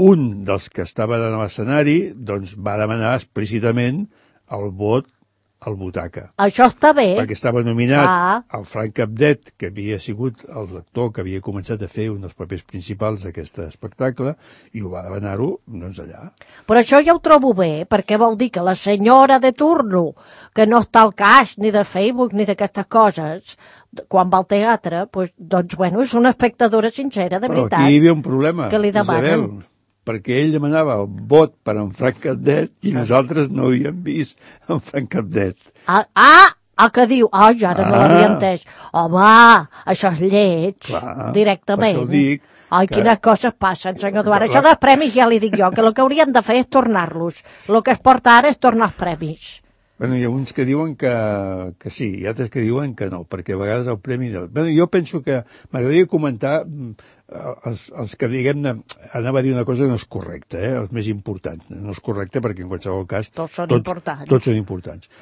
un dels que estaven a l'escenari doncs, va demanar explícitament el vot al Butaca. Això està bé. Perquè estava nominat Ah. el Frank Capdet, que havia sigut el lector que havia començat a fer un dels papers principals d'aquest espectacle, i ho va demanar-ho, doncs, allà. Però això ja ho trobo bé, perquè vol dir que la senyora de turno, que no està al cas ni de Facebook ni d'aquestes coses, quan va al teatre, pues, doncs, bueno, és una espectadora sincera, de Però veritat. aquí hi havia un problema, que li demanen. Isabel, perquè ell demanava el vot per en Frank Capdet i nosaltres no havíem vist en Frank Capdet. Ah, ah, el que diu, ai, ara no Ah. l'havia entès. Home, això és lleig, Clar, directament. per això dic Ai, que- quines coses passen, senyor Eduard. La- Això dels premis ja li dic jo, que el que haurien de fer és tornar-los. El que es porta ara és tornar els premis. Bueno, hi ha uns que diuen que, que sí, i altres que diuen que no, perquè a vegades el premi... De... Bueno, jo penso que m'agradaria comentar els, els que, diguem-ne, anava a dir una cosa que no és correcta, eh? Els més importants. No és correcte perquè, en qualsevol cas... Tots són tots, importants. Tots són importants.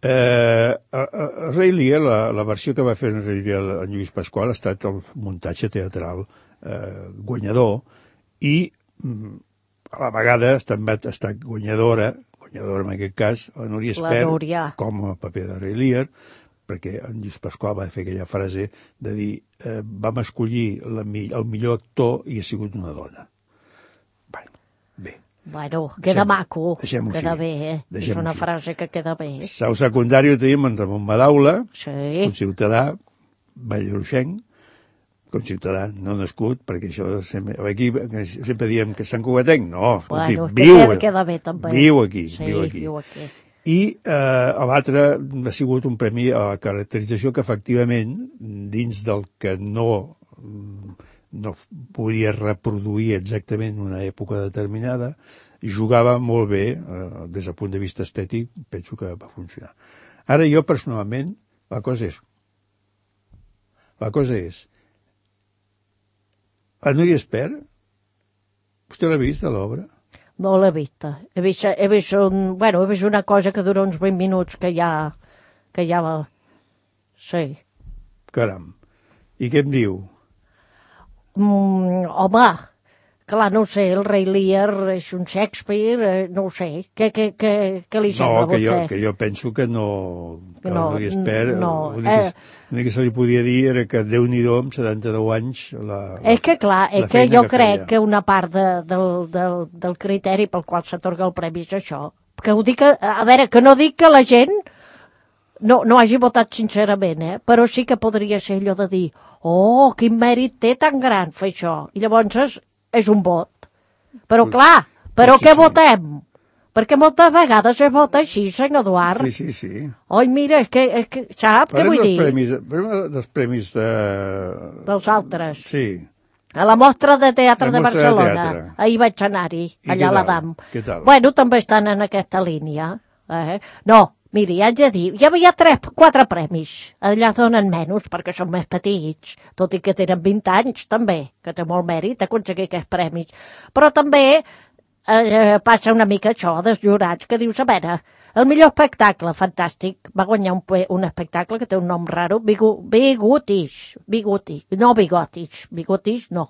Eh, a, a, a Rei Lear, la, la versió que va fer en Rei Lear en Lluís Pasqual ha estat el muntatge teatral eh, guanyador i a la vegada també ha estat guanyadora guanyadora en aquest cas, la Núria Espert, com a paper de Rei Lear, perquè en Lluís Pasqual va fer aquella frase de dir eh, vam escollir la, el millor actor i ha sigut una dona. Bueno, bé. Bueno, queda deixem, maco, queda així. bé, eh? És una així. Frase que queda bé. Sau secundari ho tenim en Ramon Madaula, sí. Un ciutadà, valleroxenc, com ciutadà, no nascut, perquè això sempre, aquí sempre diem que Sant Cugatenc, no, escolti, bueno, viu, queda, queda bé, també. viu aquí, sí, viu aquí. Viu aquí. I eh, l'altre ha sigut un premi a la caracterització que efectivament, dins del que no, no podria reproduir exactament una època determinada, jugava molt bé, eh, des del punt de vista estètic, penso que va funcionar. Ara jo, personalment, la cosa és, la cosa és, la Núria Espert, vostè l'ha vist, a l'obra? No l'he vista. He vist, he vist, un, bueno, he vist una cosa que dura uns vint minuts que ja... que ja va... Sí. Caram. I què em diu? Mm, home, clar, no ho sé, el Rei Lear és un Shakespeare, eh, no ho sé. Què, què, què, què li sembla no, a vostè? No, que jo penso que no... Que no, la Núria Espert, no, l'únic que, eh, que se li podia dir era que Déu-n'hi-do amb setanta-nou anys... La, és que clar, és que jo que crec feia. que una part de, del, del, del criteri pel qual s'atorga el premi és això. Que ho dic, a, a veure, que no dic que la gent no, no hagi votat sincerament, eh? Però sí que podria ser allò de dir oh, quin mèrit té tan gran fer això. I llavors és, és un vot. Però clar, però sí, què sí. votem? Perquè moltes vegades es vota així, senyor Eduard. Sí, sí, sí. Oi, mira, és que, és que sap què vull dir? Premis, dels premis de... Dels altres. Sí. A la Mostra de Teatre la de Mostra Barcelona. De teatre. Ahir vaig anar-hi, allà a l'Adam. Què tal? Bueno, també estan en aquesta línia. Eh? No, miri, haig de dir, hi havia tres, quatre premis. Allà donen menys, perquè són més petits, tot i que tenen vint anys, també, que té molt mèrit aconseguir aquests premis. Però també... Eh, passa una mica això dels jurats que dius, a veure, el millor espectacle, fantàstic, va guanyar un, un espectacle que té un nom raro, Bigotish, Bigotish, no Bigotish, Bigotish no,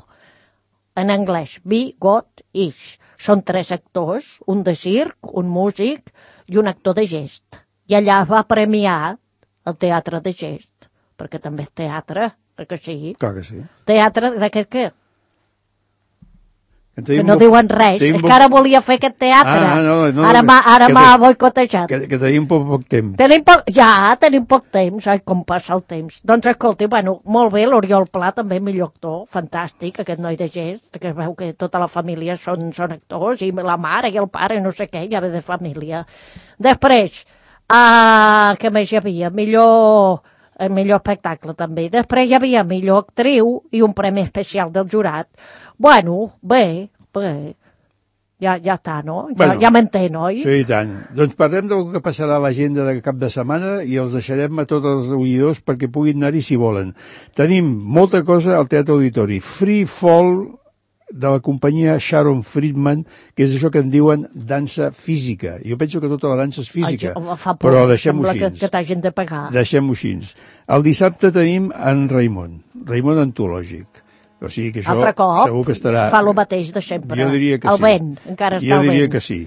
en anglès, Bigotish. Són tres actors, un de circ, un músic i un actor de gest. I allà va premiar el teatre de gest, perquè també és teatre, que sí. Clar que sí. Teatre d'aquest què? Que, que no diuen res, és que ara volia fer aquest teatre, ah, no, no, ara m'ha boicotejat. Que, que tenim poc, poc temps. Tenim poc, ja, tenim poc temps, ai, com passa el temps. Doncs escolti, bueno, molt bé, l'Oriol Pla també millor actor, fantàstic, aquest noi de gest, que es veu que tota la família són, són actors, i la mare i el pare, no sé què, ja ve de família. Després, uh, què més hi havia? Millor... el millor espectacle també. Després hi havia millor actriu i un premi especial del jurat. Bueno, bé, bé, ja, ja està, no? Ja, bueno, ja m'entén, oi? Sí, i tant. Doncs parlem del que passarà a l'agenda de cap de setmana i els deixarem a tots els oïdors perquè puguin anar-hi si volen. Tenim molta cosa al Teatre Auditori. Free Fall, de la companyia Sharon Friedman, que és això que en diuen dansa física. Jo penso que tota la dansa és física, Ai, por, però deixem-ho així. Que, que t'hagin de pagar. Deixem-ho així. El dissabte tenim en Raimon, Raimon antològic. O sigui que això Altre cop, segur que estarà... fa el mateix de sempre. Jo diria que el sí. vent, encara està jo el vent. Jo diria que sí.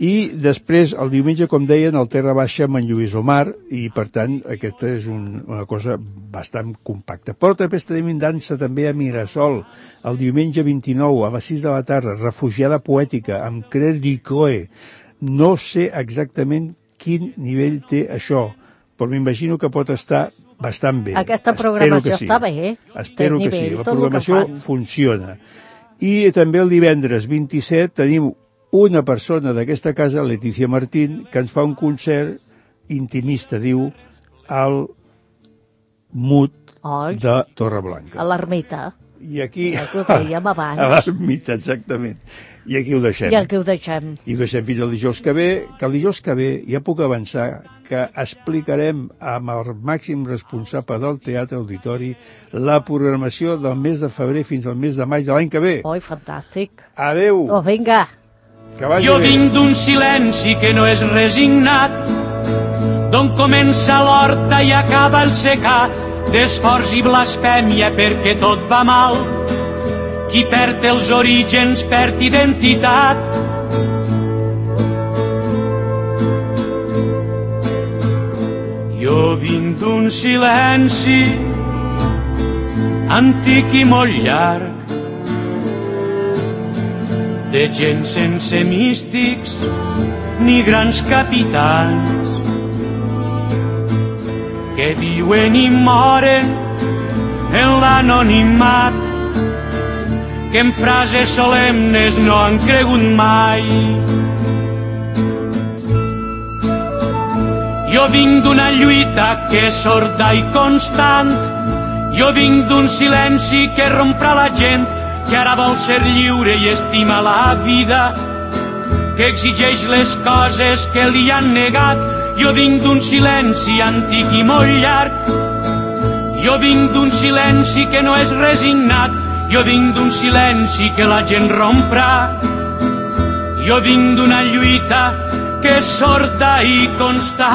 I després, el diumenge, com deien, el Terra Baixa amb en Lluís Omar, i per tant, aquesta és un, una cosa bastant compacta. Però també tenim dansa també a Mirasol, el diumenge vint-i-nou, a les sis de la tarda, Refugiada Poètica, amb Claire Ducroix. No sé exactament quin nivell té això, però m'imagino que pot estar bastant bé. Aquesta programació sí. està bé, eh? Espero que sí, la programació funciona. I també el divendres vint-i-set tenim una persona d'aquesta casa, Letícia Martín, que ens fa un concert intimista, diu, al Mut Oi, de Torreblanca. a l'ermita. I aquí... Ja que ho dèiem abans. Abans mite, exactament. I aquí ho deixem. I aquí ho deixem. I ho deixem fins al dijous que ve, que el dijous que ve ja puc avançar que explicarem amb el màxim responsable del Teatre Auditori la programació del mes de febrer fins al mes de maig de l'any que ve. Oi, fantàstic. Adeu. Oh, vinga. Que vagi jo bé. vinc d'un silenci que no és resignat, d'on comença l'horta i acaba el secà, d'esforç i blasfèmia perquè tot va mal. Qui perd els orígens perd identitat. Jo vinc d'un silenci antic i molt llarg, de gent sense místics ni grans capitans, que viuen i moren en l'anonimat, que en frases solemnes no han cregut mai. Jo vinc d'una lluita que és sorda i constant, jo vinc d'un silenci que romprà la gent, que ara vol ser lliure i estima la vida, que exigeix les coses que li han negat. Jo vinc d'un silenci antic i molt llarg, jo vinc d'un silenci que no és resignat, jo vinc d'un silenci que la gent romprà, jo vinc d'una lluita que és sorda i constant.